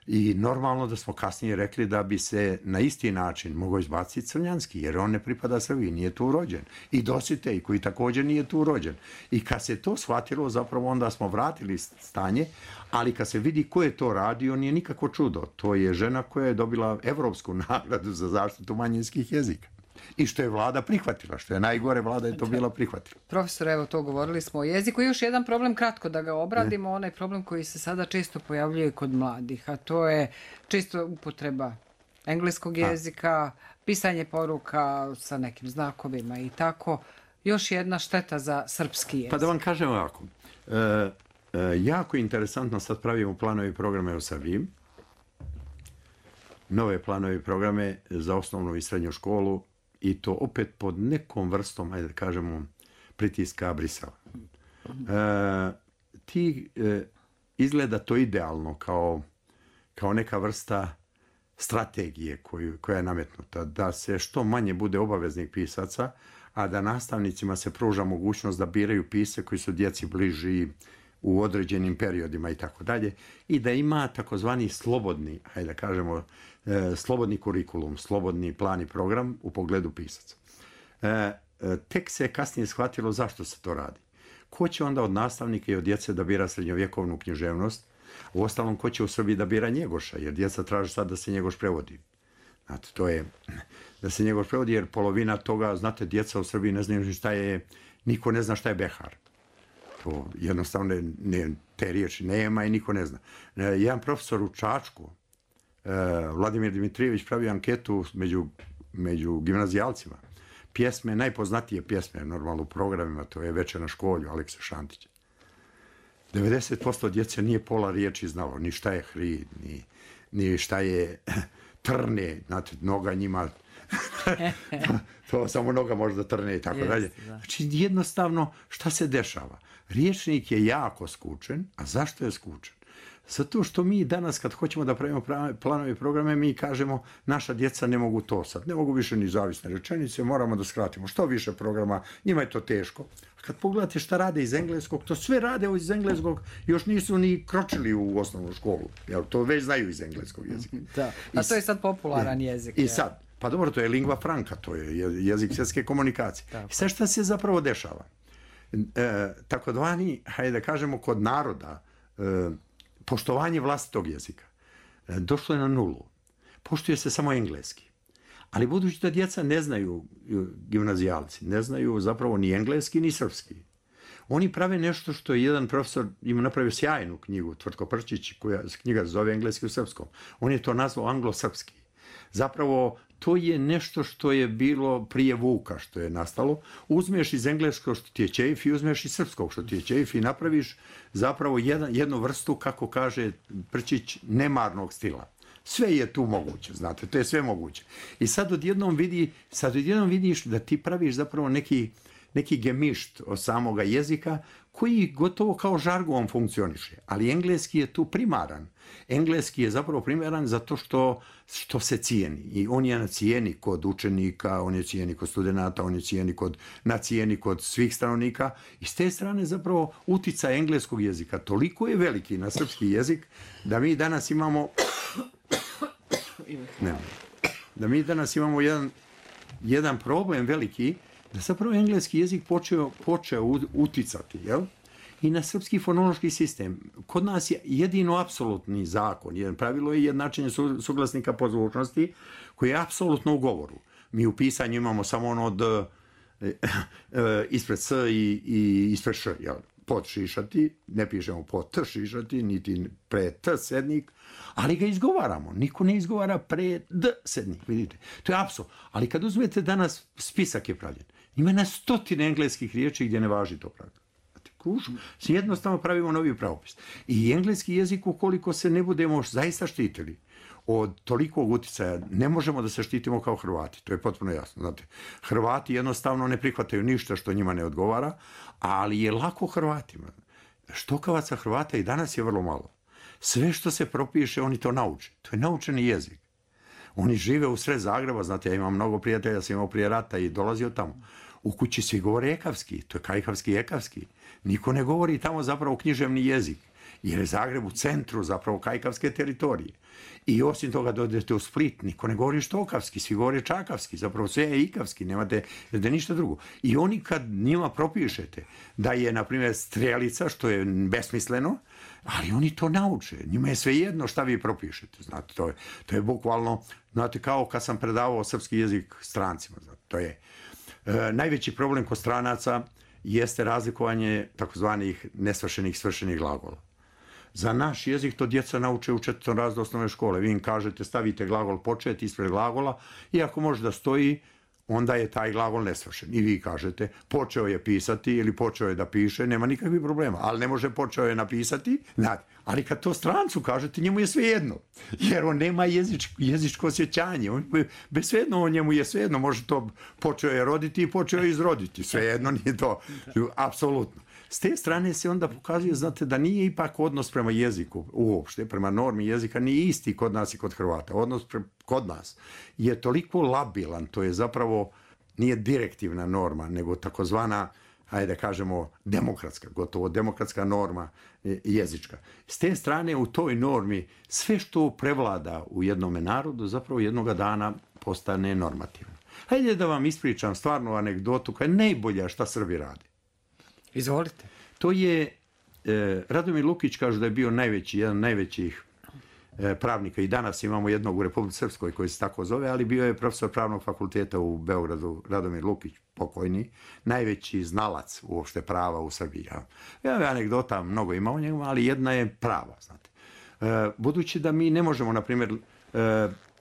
I normalno da smo kasnije rekli da bi se na isti način mogao izbaciti Crnjanski, jer on ne pripada Srbiji, nije tu rođen. I Dositej, koji također nije tu rođen. I kad se to shvatilo, zapravo onda smo vratili stanje, ali kad se vidi ko je to radio, nije nikako čudo. To je žena koja je dobila Evropsku nagradu za zaštitu manjinskih jezika. I što je vlada prihvatila, što je najgore, vlada je to bila prihvatila. Profesor, evo to govorili smo o jeziku. Još jedan problem, kratko da ga obradimo, onaj problem koji se sada često pojavljuje kod mladih, a to je često upotreba engleskog jezika, pisanje poruka sa nekim znakovima i tako. Još jedna šteta za srpski jezik. Pa da vam kažem ovako, jako interesantno, sad pravimo planove i programe u Srbiji, nove planove i programe za osnovnu i srednju školu, i to opet pod nekom vrstom, ajde da kažemo, pritiska Brisela. Izgleda to idealno kao neka vrsta strategije koja je nametnuta, da se što manje bude obaveznih pisaca, a da nastavnicima se pruža mogućnost da biraju pisce koji su djeci bliži u određenim periodima i tako dalje, i da ima takozvani slobodni, ajde da kažemo, slobodni kurikulum, slobodni plan i program u pogledu pisaca. Tek se kasnije shvatilo zašto se to radi. Ko će onda od nastavnika i od djece da bira srednjovjekovnu književnost? Uostalom, ko će u Srbiji da bira Njegoša, jer djeca traže sad da se Njegoš prevodi. Znate, to je da se Njegoš prevodi, jer polovina toga, znate, djeca u Srbiji ne znaju šta je, niko ne zna šta je behar. To jednostavno te riječi nema i niko ne zna. Jedan profesor u Čačku, Vladimir Dimitrijević, pravi anketu među gimnazijalcima. Pjesme, najpoznatije pjesme, normalno u programima, to je Večer na školju, Aleksa Šantića. 90% djece nije pola riječi znalo, ni šta je hrid, ni šta je trne, znate, noga njima, to samo noga može da trne i tako dalje. Znači, jednostavno, šta se dešava? Riječnik je jako skučen, a zašto je skučen? Zato što mi danas kad hoćemo da pravimo planove i programe, mi kažemo naša djeca ne mogu to sad, ne mogu više ni zavisne rečenice, moramo da skratimo što više programa, njima je to teško. Kad pogledate šta rade iz engleskog, to sve rade iz engleskog, još nisu ni kročili u osnovnu školu, jer to već znaju iz engleskog jezika. Da. A to je sad popularan jezik. I sad, pa dobro, to je lingva franca, to je jezik svjetske komunikacije. I sad šta se zapravo dešava? Takodvani, hajde da kažemo, kod naroda, poštovanje vlastitog jezika došlo je na nulu. Poštuje se samo engleski. Ali budući da djeca ne znaju, gimnazijalci, ne znaju zapravo ni engleski ni srpski. Oni prave nešto što je jedan profesor ima napravio sjajnu knjigu, Tvrtko Prčić, koja knjiga zove engleski u srpskom. On je to nazvao anglo-srpski. Zapravo, to je nešto što je bilo prije Vuka, što je nastalo. Uzmeš iz engleskog što ti je ćejf i uzmeš iz srpskog što ti je ćejf i napraviš zapravo jednu vrstu, kako kaže Prčić, nemarnog stila. Sve je tu moguće, znate, to je sve moguće. I sad odjednom vidiš da ti praviš zapravo neki gemišt od samoga jezika koji gotovo kao žargon funkcioniše. Ali engleski je tu primaran. Engleski je zapravo primaran zato što se cijeni. I on je na cijeni kod učenika, on je cijeni kod studenata, on je na cijeni kod svih stanovnika. I s te strane zapravo uticaj engleskog jezika toliko je veliki na srpski jezik da mi danas imamo jedan problem veliki, da zapravo engleski jezik počeo uticati, jel? I na srpski fonološki sistem. Kod nas je jedino apsolutni zakon, jedan pravilo je jednačenje suglasnika po zvučnosti, koji je apsolutno u govoru. Mi u pisanju imamo samo ono od ispred s i ispred š, jel? Pod šišati, ne pišemo pod t šišati, niti pre t sednik, ali ga izgovaramo. Niko ne izgovara pre d sednik, vidite. To je apsolutno. Ali kad uzmete danas, spisak je pravljen. Ima na stotine engleskih riječi gdje ne važi to pravilo. Jednostavno pravimo novi pravopis. I engleski jezik, ukoliko se ne budemo zaista štitili od tolikog uticaja, ne možemo da se štitimo kao Hrvati. To je potpuno jasno. Znate, Hrvati jednostavno ne prihvataju ništa što njima ne odgovara, ali je lako Hrvatima. Štokavaca Hrvata i danas je vrlo malo. Sve što se propiše, oni to nauče. To je naučeni jezik. Oni žive u sred Zagreba, znate, ja imam mnogo prijatelja, sam imao prije rata i dolazio tamo. U kući svi govore ekavski, to je kajkavski i ekavski. Niko ne govori tamo zapravo književni jezik, jer je Zagreb u centru zapravo kajkavske teritorije. I osim toga dođete u Split, niko ne govori štokavski, svi govore čakavski, zapravo sve je ikavski, nemate da ništa drugo. I oni kad njima propišete da je, na primjer, strelica, što je besmisleno, ali oni to nauče, njima je svejedno šta vi propišete, znate, to je bukvalno, znate, kao kad sam predavao srpski jezik strancima, znate, to je. Najveći problem kod stranaca jeste razlikovanje takozvanih nesvršenih svršenih glagola. Za naš jezik to djeca nauče u 4. razredu osnovne škole. Vi im kažete, stavite glagol početi ispred glagola i ako može da stoji, onda je taj glagol nesvršen. I vi kažete, počeo je pisati ili počeo je da piše, nema nikakvih problema. Ali ne može počeo je napisati, ali kad to strancu kažete, njemu je svejedno. Jer on nema jezičko osjećanje. Bez svejedno, njemu je svejedno. Može to počeo je roditi i počeo je izroditi. Svejedno nije to. Apsolutno. S te strane se onda pokazuje, znate, da nije ipak odnos prema jeziku uopšte, prema normi jezika, nije isti kod nas i kod Hrvata. Odnos kod nas je toliko labilan, to je zapravo, nije direktivna norma, nego takozvana, hajde da kažemo, demokratska, gotovo demokratska norma jezička. S te strane u toj normi sve što prevlada u jednome narodu zapravo jednoga dana postane normativno. Hajde da vam ispričam stvarnu anegdotu koja je najbolja šta Srbi rade. Izvolite. To je, Radomir Lukić kaže da je bio jedan najvećih pravnika i danas imamo jednog u Republici Srpskoj koji se tako zove, ali bio je profesor pravnog fakulteta u Beogradu, Radomir Lukić, pokojni, najveći znalac uopšte prava u Srbiji. Ja anegdota mnogo ima o njemu, ali jedna je prava, znate. Budući da mi ne možemo, na primjer,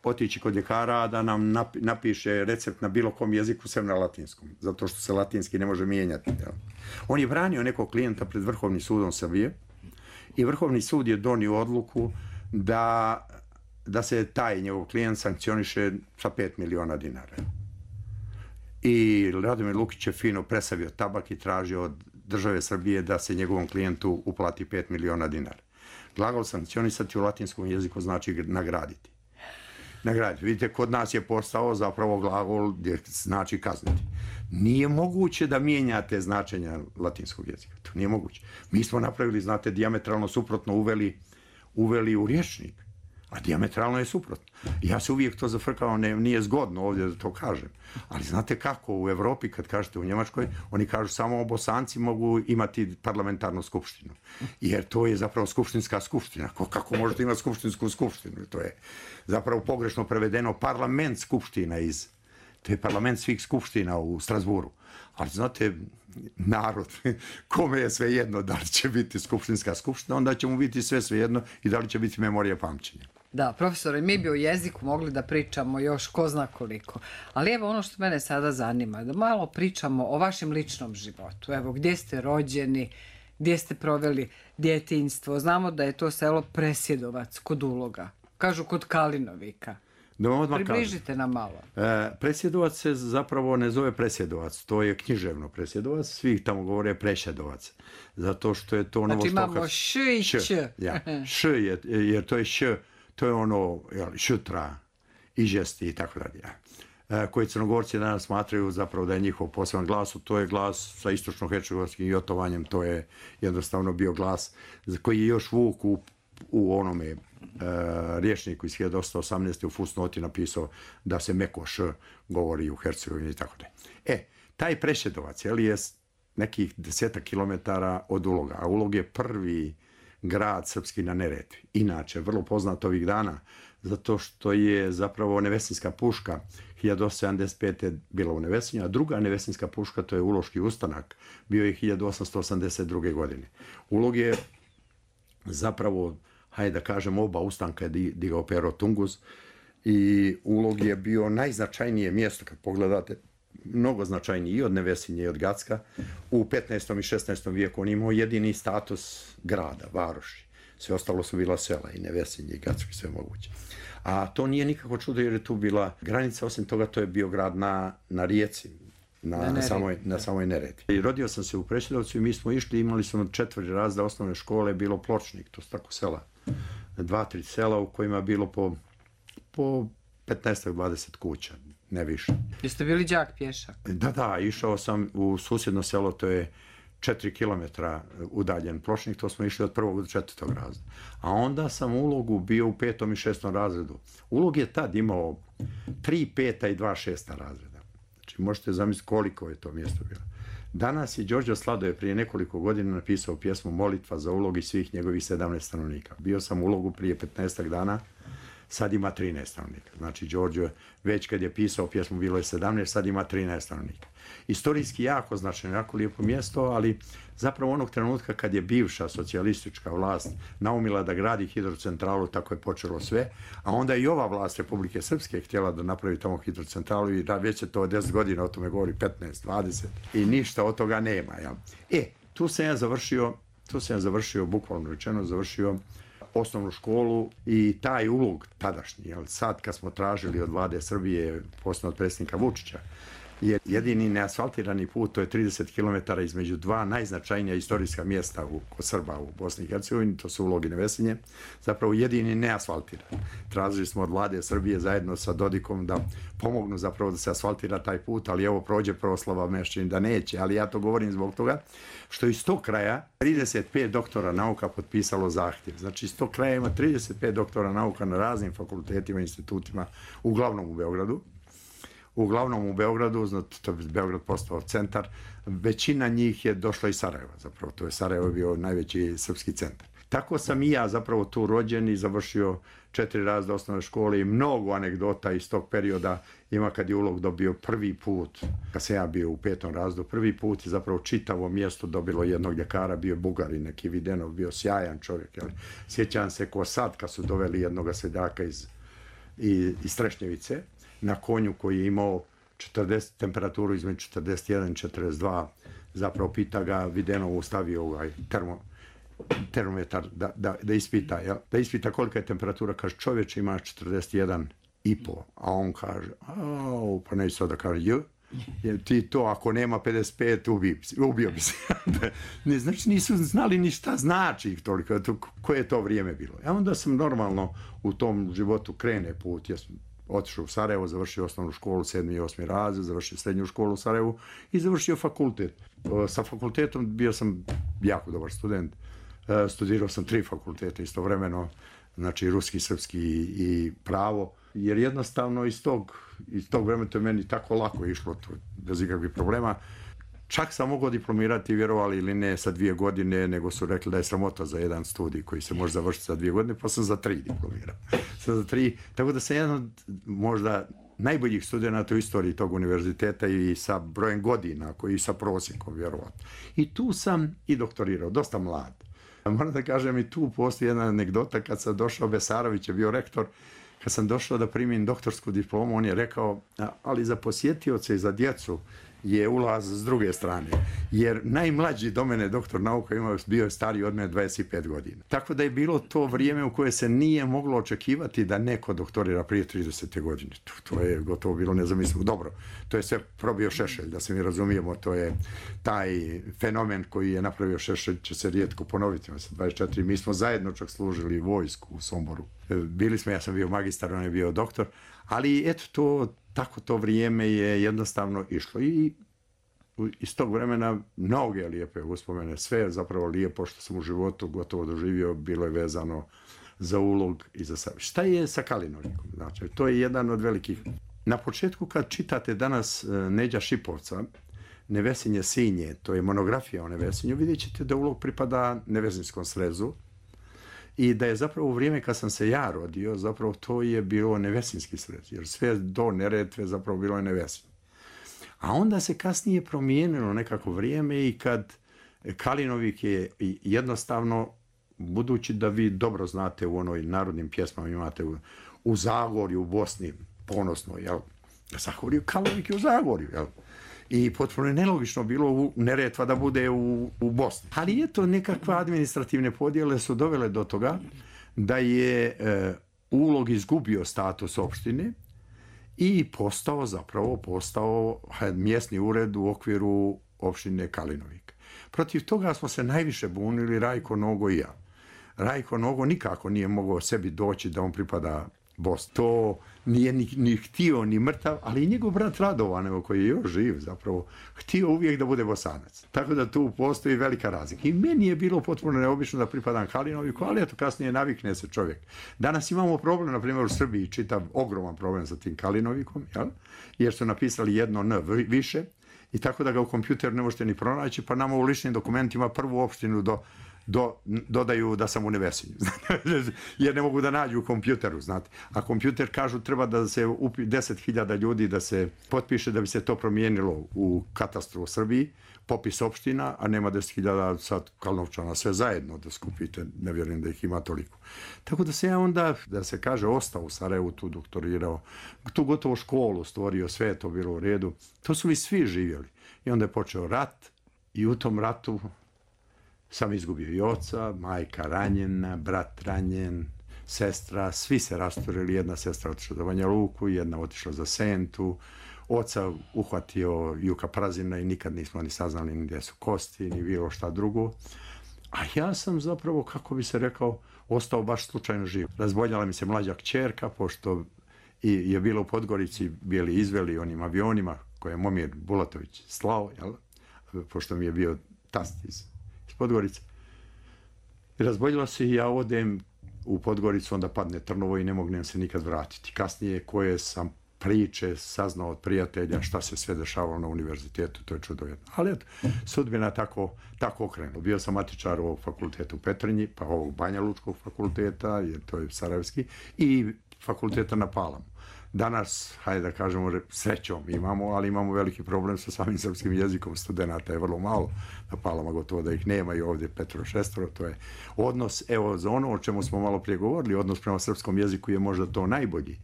otići kod ljekara da nam napiše recept na bilo kom jeziku sem na latinskom, zato što se latinski ne može mijenjati. On je branio nekog klijenta pred Vrhovnim sudom Srbije i Vrhovni sud je donio odluku da se taj njegov klijent sankcioniše sa 5 miliona dinara. I Radomir Lukić je fino presavio tabak i tražio od države Srbije da se njegovom klijentu uplati 5 miliona dinara. Glagol sankcionisati u latinskom jeziku znači nagraditi. Nagraditi. Vidite, kod nas je postao zapravo glagol gdje znači kazniti. Nije moguće da mijenjate značenja latinskog jezika. To nije moguće. Mi smo napravili, znate, dijametralno suprotno uveli u rječnik. A dijametralno je suprotno. Ja se uvijek to zafrkao, nije zgodno ovdje da to kažem. Ali znate kako, u Evropi, kad kažete u Njemačkoj, oni kažu samo Bosanci mogu imati parlamentarnu skupštinu. Jer to je zapravo skupštinska skupština. Kako možete imati skupštinsku skupštinu? To je zapravo pogrešno prevedeno parlament skupština to je parlament svih skupština u Strasburu. Ali znate, narod, kome je sve jedno da li će biti skupštinska skupština, onda će mu biti sve jedno i da li će biti memorija pamćenja. Da, profesore, mi bi o jeziku mogli da pričamo još ko zna koliko. Ali evo ono što mene sada zanima, da malo pričamo o vašem ličnom životu. Evo, gdje ste rođeni, gdje ste proveli djetinjstvo. Znamo da je to selo Presjedovac kod Uloga. Kažu kod Kalinovika. Približite nam malo. Presjedovac se zapravo ne zove Presjedovac, to je književno Presjedovac, svi tamo govore Prešedovac, zato što je to znači imamo š i ć. Š je, jer to je š, to je ono šutra, ižesti i tako dalje. Koji Crnogorci danas smatraju zapravo da je njihov poseban glas, to je glas sa istočno-hercegovačkim jotovanjem, to je jednostavno bio glas koji je još Vuk u onome rječniku iz 1818. u fusnoti napisao da se meko š govori u Hercegovini i tako dalje. Taj Prešedovac je nekih 10 kilometara od Uloga, a Ulog je prvi grad srpski na Neretvi. Inače, vrlo poznat ovih dana, zato što je zapravo Nevesinska puška 1875. bila u Nevesinju, a druga Nevesinska puška, to je Uloški ustanak, bio je 1882. godine. Ulog je zapravo, hajde da kažem, oba ustanka je digao Pero Tungus i Ulog je bio najznačajnije mjesto, kad pogledate, mnogo značajniji i od Nevesinje i od Gacka. U 15. i 16. vijeku on imao jedini status grada, varoši. Sve ostalo su bila sela, i Nevesinje i Gacko i sve moguće. A to nije nikako čudo jer je tu bila granica, osim toga to je bio grad na rijeci, na samoj Neretvi. I rodio sam se u Prešedovcu i mi smo išli, imali smo 4 razreda osnovne škole, bilo Pločnik, to su tako sela. 2-3 sela u kojima je bilo po 15-20 kuća, ne više. Jeste bili đak pješak? Da, išao sam u susjedno selo, to je 4 kilometra udaljen Pločnik, to smo išli od 1. do 4. razreda. A onda sam u Ulogu bio u 5. i 6. razredu. Ulog je tad imao 3 5. i 2 6. razreda. Znači, možete zamisliti koliko je to mjesto bilo. Danas je Đorđe Sladoje prije nekoliko godina napisao pjesmu Molitva za Ulog i svih njegovih 17 stanovnika. Bio sam u Ulogu prije 15 dana, sad ima 13 stanovnika. Znači, Đorđe već kad je pisao pjesmu bilo je 17, sad ima 13 stanovnika. Istorijski jako značajno, jako lijepo mjesto, ali zapravo onog trenutka kad je bivša socijalistička vlast naumila da gradi hidrocentralu, tako je počelo sve, a onda i ova vlast Republike Srpske htjela da napravi tamo hidrocentralu i da već je to 10 godina, o tome govori 15, 20 i ništa od toga nema. Ja. Tu sam ja završio, bukvalno rečeno, završio osnovnu školu i taj Ulog tadašnji, sad kad smo tražili od vlade Srbije, posebno od predsjednika Vučića, je jedini neasfaltirani put, to je 30 km između dva najznačajnija istorijska mjesta kod Srba u Bosni i Hercegovini, to su Ulog i Nevesinje, zapravo jedini neasfaltiran. Tražili smo od vlade Srbije zajedno sa Dodikom da pomognu zapravo da se asfaltira taj put, ali evo prođe proslava Mešćin da neće, ali ja to govorim zbog toga što iz tog kraja 35 doktora nauka potpisalo zahtjev. Znači iz tog kraja ima 35 doktora nauka na raznim fakultetima i institutima, uglavnom u Beogradu, znači to je Beograd postao centar, većina njih je došla iz Sarajeva, zapravo to je Sarajevo bio najveći srpski centar. Tako sam i ja zapravo tu rođen i završio 4 razreda osnovne škole i mnogo anegdota iz tog perioda ima kad je Ulog dobio prvi put, kad sam ja bio u 5. razredu, prvi put je zapravo čitavo mjesto dobilo jednog ljekara, bio Bugarin, neki Videnov, bio sjajan čovjek. Jel? Sjećam se ko sad kad su doveli jednog seljaka iz Trešnjevice, na konju koji je imao temperaturu između 41 i 42, zapravo pita ga, Videnovu stavio termometar da ispita, jel? Da ispita kolika je temperatura, kaže čovječe ima 41,5, a on kaže, pa neće sad da kaže Jer ti to, ako nema 55, ubio bi se. Znači, nisu znali ni šta znači ih toliko, koje je to vrijeme bilo. A onda sam normalno u tom životu krene put. Ja sam otišao u Sarajevo, završio osnovnu školu, 7. i 8. razred, završio srednju školu u Sarajevu i završio fakultet. Sa fakultetom bio sam jako dobar student. Studirao sam 3 fakulteta istovremeno, znači ruski, srpski i pravo, jer jednostavno iz tog vremena to je meni tako lako išlo, to, bez ikakvih problema. Čak sam mogao diplomirati, vjerovali ili ne, sa 2 godine, nego su rekli da je sramota za jedan studij koji se može završiti sa 2 godine, pa sam za 3 diplomirao. Tako da sam jedan od možda najboljih studenta u istoriji tog univerziteta i sa brojem godina, koji sa prosjekom, vjerovatno. I tu sam i doktorirao, dosta mlad. Moram da kažem, i tu postoji jedna anegdota, kad sam došao, Besarović je bio rektor, kad sam došao da primim doktorsku diplomu, on je rekao, ali za posjetioce i za djecu je ulaz s druge strane, jer najmlađi do mene doktor nauka bio je stariji od mene 25 godina. Tako da je bilo to vrijeme u koje se nije moglo očekivati da neko doktorira prije 30. godine. To je gotovo bilo nezamislivo. Dobro, to je sve probio Šešelj, da se mi razumijemo, to je taj fenomen koji je napravio Šešelj, će se rijetko ponoviti. 24, mi smo zajedno čak služili vojsku u Somboru. Bili smo, ja sam bio magistar, on je bio doktor, ali eto tako to vrijeme je jednostavno išlo i iz tog vremena mnoge lijepe uspomene, sve je zapravo lijepo što sam u životu gotovo doživio, bilo je vezano za ulog i za sad. Šta je sa Kalinovikom? Znači, to je jedan od velikih. Na početku kad čitate danas Neđa Šipovca, Nevesinje sinje, to je monografija o Nevesinju, vidjet ćete da ulog pripada Nevesinskom srezu, i da je zapravo u vrijeme kad sam se ja rodio, zapravo to je bilo Nevesinski srez, jer sve do Neretve zapravo bilo je Nevesinje. A onda se kasnije promijenilo nekako vrijeme i kad Kalinovik je jednostavno, budući da vi dobro znate u onoj narodnim pjesmama, imate u Zagorju, u Bosni, ponosno, jel? Zagorju, Kalinovik je u Zagorju, jel? I potpuno je nelogično bilo Neretva da bude u Bosni. Ali eto, nekakve administrativne podjele su dovele do toga da je Ulog izgubio status opštine i postao mjesni ured u okviru opštine Kalinovik. Protiv toga smo se najviše bunili Rajko Nogo i ja. Rajko Nogo nikako nije mogao sebi doći da on pripada Bosni. To nije ni htio ni mrtav, ali i njegov brat Radovan, koji je još živ zapravo, htio uvijek da bude Bosanac. Tako da tu postoji velika razlika. I meni je bilo potpuno neobično da pripadam Kalinoviku, ali eto kasnije navikne se čovjek. Danas imamo problem, na primjer u Srbiji, čitav ogroman problem sa tim Kalinovikom, jel? Jer su napisali jedno N više i tako da ga u kompjuteru ne možete ni pronaći, pa nama u ličnim dokumentima prvu opštinu dodaju da sam u Nevesinju, jer ne mogu da nađu u kompjuteru, znate. A kompjuter kažu treba da se 10.000 ljudi da se potpiše da bi se to promijenilo u katastru u Srbiji, popis opština, a nema 10.000 sad Kalnovčana, sve zajedno da skupite, ne vjerujem da ih ima toliko. Tako da se ja onda, da se kaže, ostao u Sarajevu, tu doktorirao, tu gotovo školu stvorio, sve je to bilo u redu. To su mi svi živjeli. I onda je počeo rat i u tom ratu sam izgubio i oca, majka ranjena, brat ranjen, sestra, svi se rasturili, jedna sestra otišla za Banja Luku, jedna otišla za Sentu, oca uhvatio Juka Prazina i nikad nismo ni saznali ni gdje su kosti, ni bilo šta drugo. A ja sam zapravo, kako bi se rekao, ostao baš slučajno živ. Razboljala mi se mlađa kćerka, pošto je bila u Podgorici, bili izveli onim avionima koje je Momir Bulatović slao, jel? Pošto mi je bio tast iz Podgorice. Razboljila se i ja odem u Podgoricu, onda padne Trnovo i ne mognem se nikad vratiti. Kasnije koje sam priče saznao od prijatelja šta se sve dešavalo na univerzitetu, to je čudovjetno. Ali eto, sudbina tako okrenula. Bio sam matičar ovog fakulteta u Petrinji, pa ovog Banja Lučkog fakulteta, jer to je sarajevski, i fakulteta na Palamu. Danas, hajde da kažemo, srećom imamo, ali imamo veliki problem sa samim srpskim jezikom. Studenata je vrlo malo, na Palama gotovo da ih nema i ovdje 5-6, to je odnos, evo za ono o čemu smo malo prije govorili, odnos prema srpskom jeziku je možda to najbolji,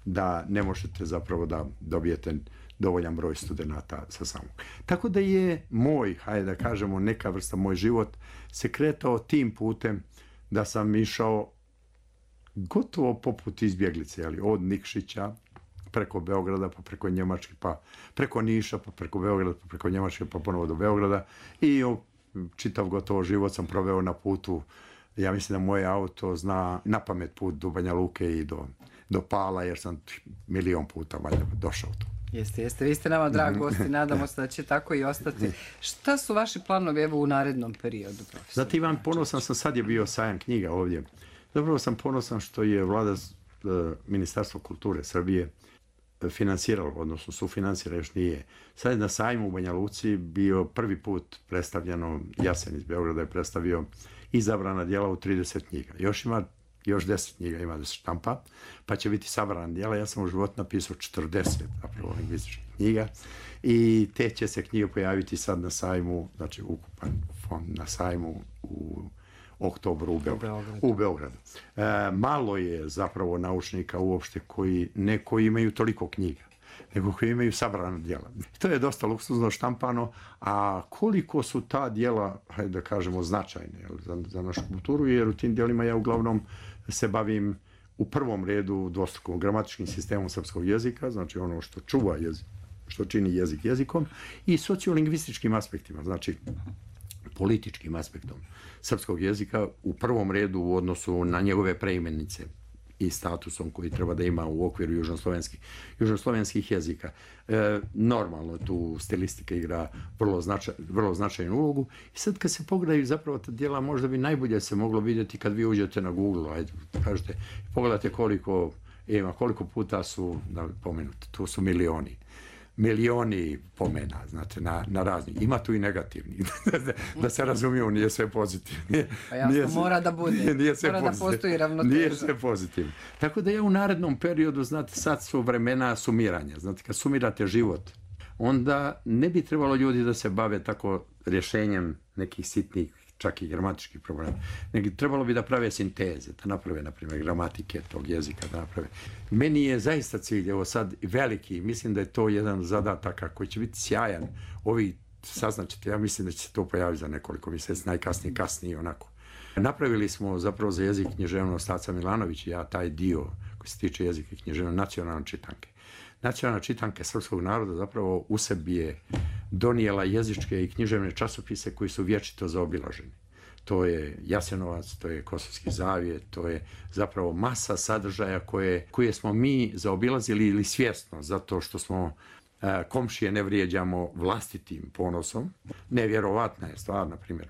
da ne možete zapravo da dobijete dovoljan broj studenata sa samog. Tako da je moj, hajde da kažemo, neka vrsta, moj život se kretao tim putem da sam išao gotovo poput izbjeglice, ali od Nikšića, preko Beograda, pa preko Njemačke, pa preko Niša, pa preko Beograda, pa preko Njemačke, pa ponovo do Beograda. I čitav gotovo život sam proveo na putu. Ja mislim da moje auto zna na pamet put do Banja Luke i do Pala, jer sam 1.000.000 puta valjda došao tu. Jeste. Vi ste nama dragi gosti, nadamo se da će tako i ostati. Šta su vaši planovi evo u narednom periodu, profesor? Znate, Ivan, ponosan sam, sad je bio sajam knjiga ovdje. Zapravo sam ponosan što je vlada Ministarstvo kulture Srbije finansiralo, odnosno sufinansira, još nije. Sad je na sajmu u Banja Luci bio prvi put predstavljeno, Jasen iz Beograda je predstavio izabrana djela u 30 knjiga. Još 10 knjiga ima da se štampa, pa će biti sabrana djela. Ja sam u životu napisao 40 zapravo lingvističkih knjiga i te će se knjige pojaviti sad na sajmu, znači ukupan fond na sajmu u oktobru u Beogradu. Malo je zapravo naučnika uopšte koji imaju toliko knjiga, nego koji imaju sabrana djela. To je dosta luksuzno štampano, a koliko su ta djela, hajde da kažemo, značajne za našu kulturu, jer u tim djelima ja uglavnom se bavim u prvom redu dvostrukom gramatičkim sistemom srpskog jezika, znači ono što čuva jezik, što čini jezik jezikom, i sociolingvističkim aspektima, znači političkim aspektom srpskog jezika u prvom redu u odnosu na njegove preimenice i statusom koji treba da ima u okviru južnoslovenskih jezika. Normalno tu stilistika igra vrlo značajnu ulogu. I sad kad se pogledaju zapravo ta djela, možda bi najbolje se moglo vidjeti kad vi uđete na Google, ajde, kažete, pogledate koliko puta su pomenuti. Tu su milioni pomena, znate, na razni. Ima tu i negativni. Da se razumiju, nije sve pozitivno. Pa jasno, mora da bude. Mora da postoji ravnoteža. Nije sve pozitivno. Tako da ja u narednom periodu, znate, sad su vremena sumiranja. Znate, kad sumirate život, onda ne bi trebalo ljudi da se bave tako rješenjem nekih sitnih, čak i gramatičkih problema. Nego trebalo bi da prave sinteze, da naprave, na primjer, gramatike tog jezika, da naprave. Meni je zaista cilj, evo sad veliki, mislim da je to jedan zadataka koji će biti sjajan. Saznaćete, ja mislim da će se to pojaviti za nekoliko mjeseci, najkasnije, kasnije, onako. Napravili smo zapravo za jezik književnost Aca Milanović i ja taj dio koji se tiče jezika i književnosti, nacionalne čitanke. Nacionalna čitanka srpskog naroda zapravo u sebi je donijela jezičke i književne časopise koji su vječito zaobilaženi. To je Jasenovac, to je Kosovski zavjet, to je zapravo masa sadržaja koje smo mi zaobilazili ili svjesno, zato što smo komšije ne vrijeđamo vlastitim ponosom. Nevjerovatna je stvar, na primjer.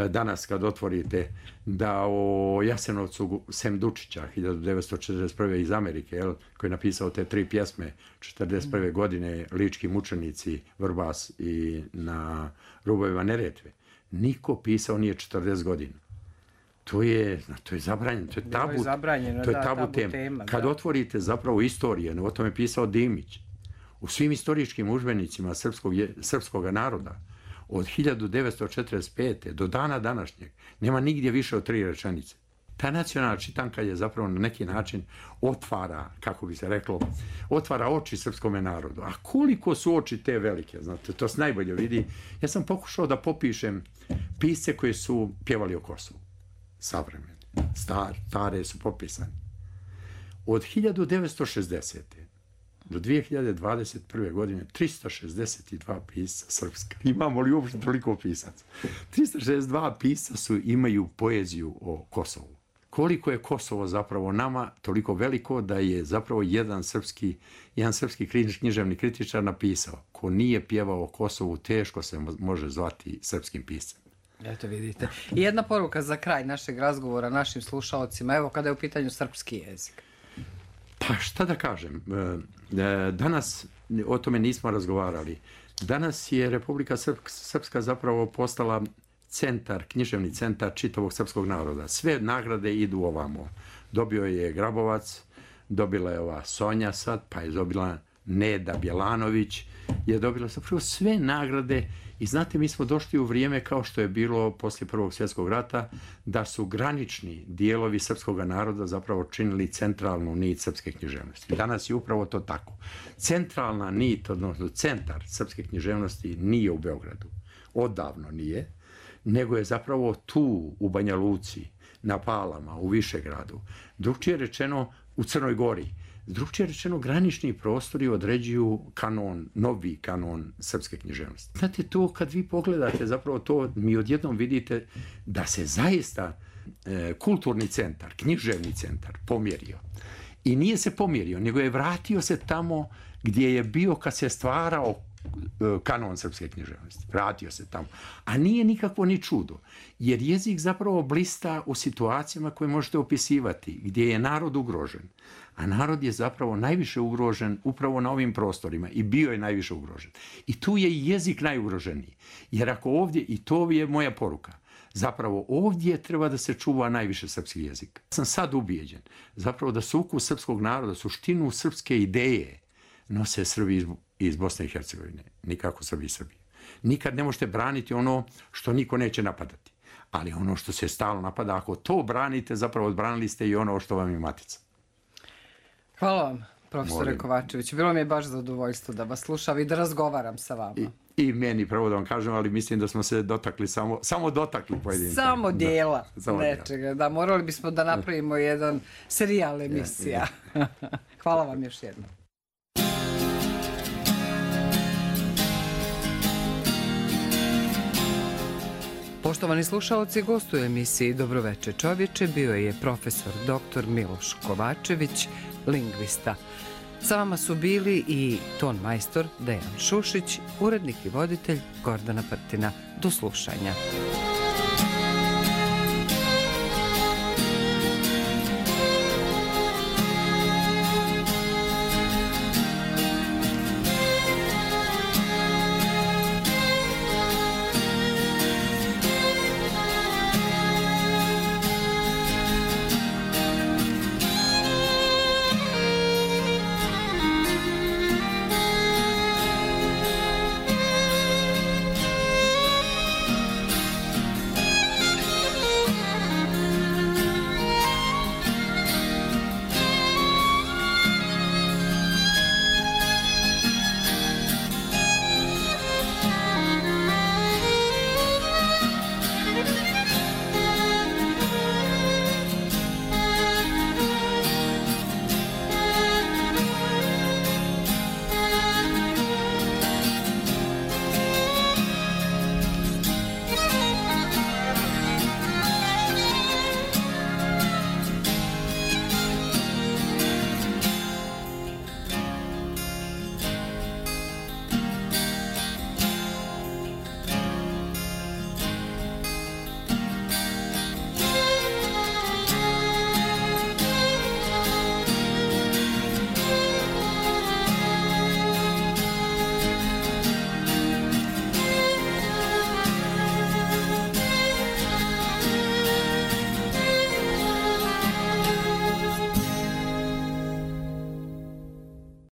Danas kad otvorite da o Jasenovcu Sem Dučića 1941. iz Amerike, koji je napisao te 3 pjesme 1941. godine, Lički mučenici, Vrbas i Na rubovima Neretve, niko pisao nije 40 godina. To je zabranjeno, to je tabu tema. Kad otvorite zapravo istorije, o tome je pisao Dimić, u svim istoričkim udžbenicima srpskog naroda, od 1945. do dana današnjeg nema nigdje više od 3 rečenice. Ta nacionalna čitanka je zapravo na neki način otvara, kako bi se reklo, otvara oči srpskome narodu. A koliko su oči te velike, znate, to se najbolje vidi. Ja sam pokušao da popišem pisce koji su pjevali o Kosovu. Savremeni, stare su popisani. Od 1960. do 2021. godine 362 pisca srpska. Imamo li uopšte toliko pisaca? 362 pisca imaju poeziju o Kosovu. Koliko je Kosovo zapravo nama toliko veliko da je zapravo jedan srpski književni kritičar napisao: ko nije pjevao o Kosovu, teško se može zvati srpskim piscem. Eto vidite. I jedna poruka za kraj našeg razgovora našim slušaocima, evo kada je u pitanju srpski jezik. Pa šta da kažem, danas o tome nismo razgovarali. Danas je Republika Srpska zapravo postala književni centar čitavog srpskog naroda. Sve nagrade idu ovamo. Dobio je Grabovac, dobila je ova Sonja sad, pa je dobila Neda Bjelanović, je dobila zapravo sve nagrade. I znate, mi smo došli u vrijeme kao što je bilo poslije Prvog svjetskog rata, da su granični dijelovi srpskog naroda zapravo činili centralnu nit srpske književnosti. Danas je upravo to tako. Centralna nit, odnosno centar srpske književnosti nije u Beogradu. Odavno nije, nego je zapravo tu u Banja Luci, na Palama, u Višegradu. Drugčije rečeno, u Crnoj Gori. Drugčije rečeno, granični prostori određuju kanon, novi kanon srpske književnosti. Znate, to kad vi pogledate, zapravo to mi odjednom vidite da se zaista kulturni centar, književni centar pomjerio. I nije se pomjerio, nego je vratio se tamo gdje je bio kad se stvarao kanon srpske književnosti. Vratio se tamo. A nije nikakvo ni čudo, jer jezik zapravo blista u situacijama koje možete opisivati, gdje je narod ugrožen. A narod je zapravo najviše ugrožen upravo na ovim prostorima i bio je najviše ugrožen. I tu je i jezik najugroženiji. Jer ako ovdje, i to je moja poruka, zapravo ovdje treba da se čuva najviše srpski jezik. Sam sad ubijeđen zapravo da sukus srpskog naroda, suštinu srpske ideje nose Srbi iz Bosne i Hercegovine, nikako Srbi iz Srbije. Nikad ne možete braniti ono što niko neće napadati. Ali ono što se stalno napada, ako to branite, zapravo odbranili ste i ono što vam je matica. Hvala vam, profesore Kovačević. Bilo mi je baš zadovoljstvo da vas slušam i da razgovaram sa vama. I meni, pravo da vam kažem, ali mislim da smo se dotakli, samo dotakli pojedinca. Samo dijela nečega. Da, morali bismo da napravimo jedan serijal emisija. Hvala vam još jednom. Poštovani slušalci, gostu u emisiji Dobroveče čovječe bio je profesor dr. Miloš Kovačević, lingvista. Sa vama su bili i ton majstor Dejan Šušić, urednik i voditelj Gordana Prtina. Do slušanja.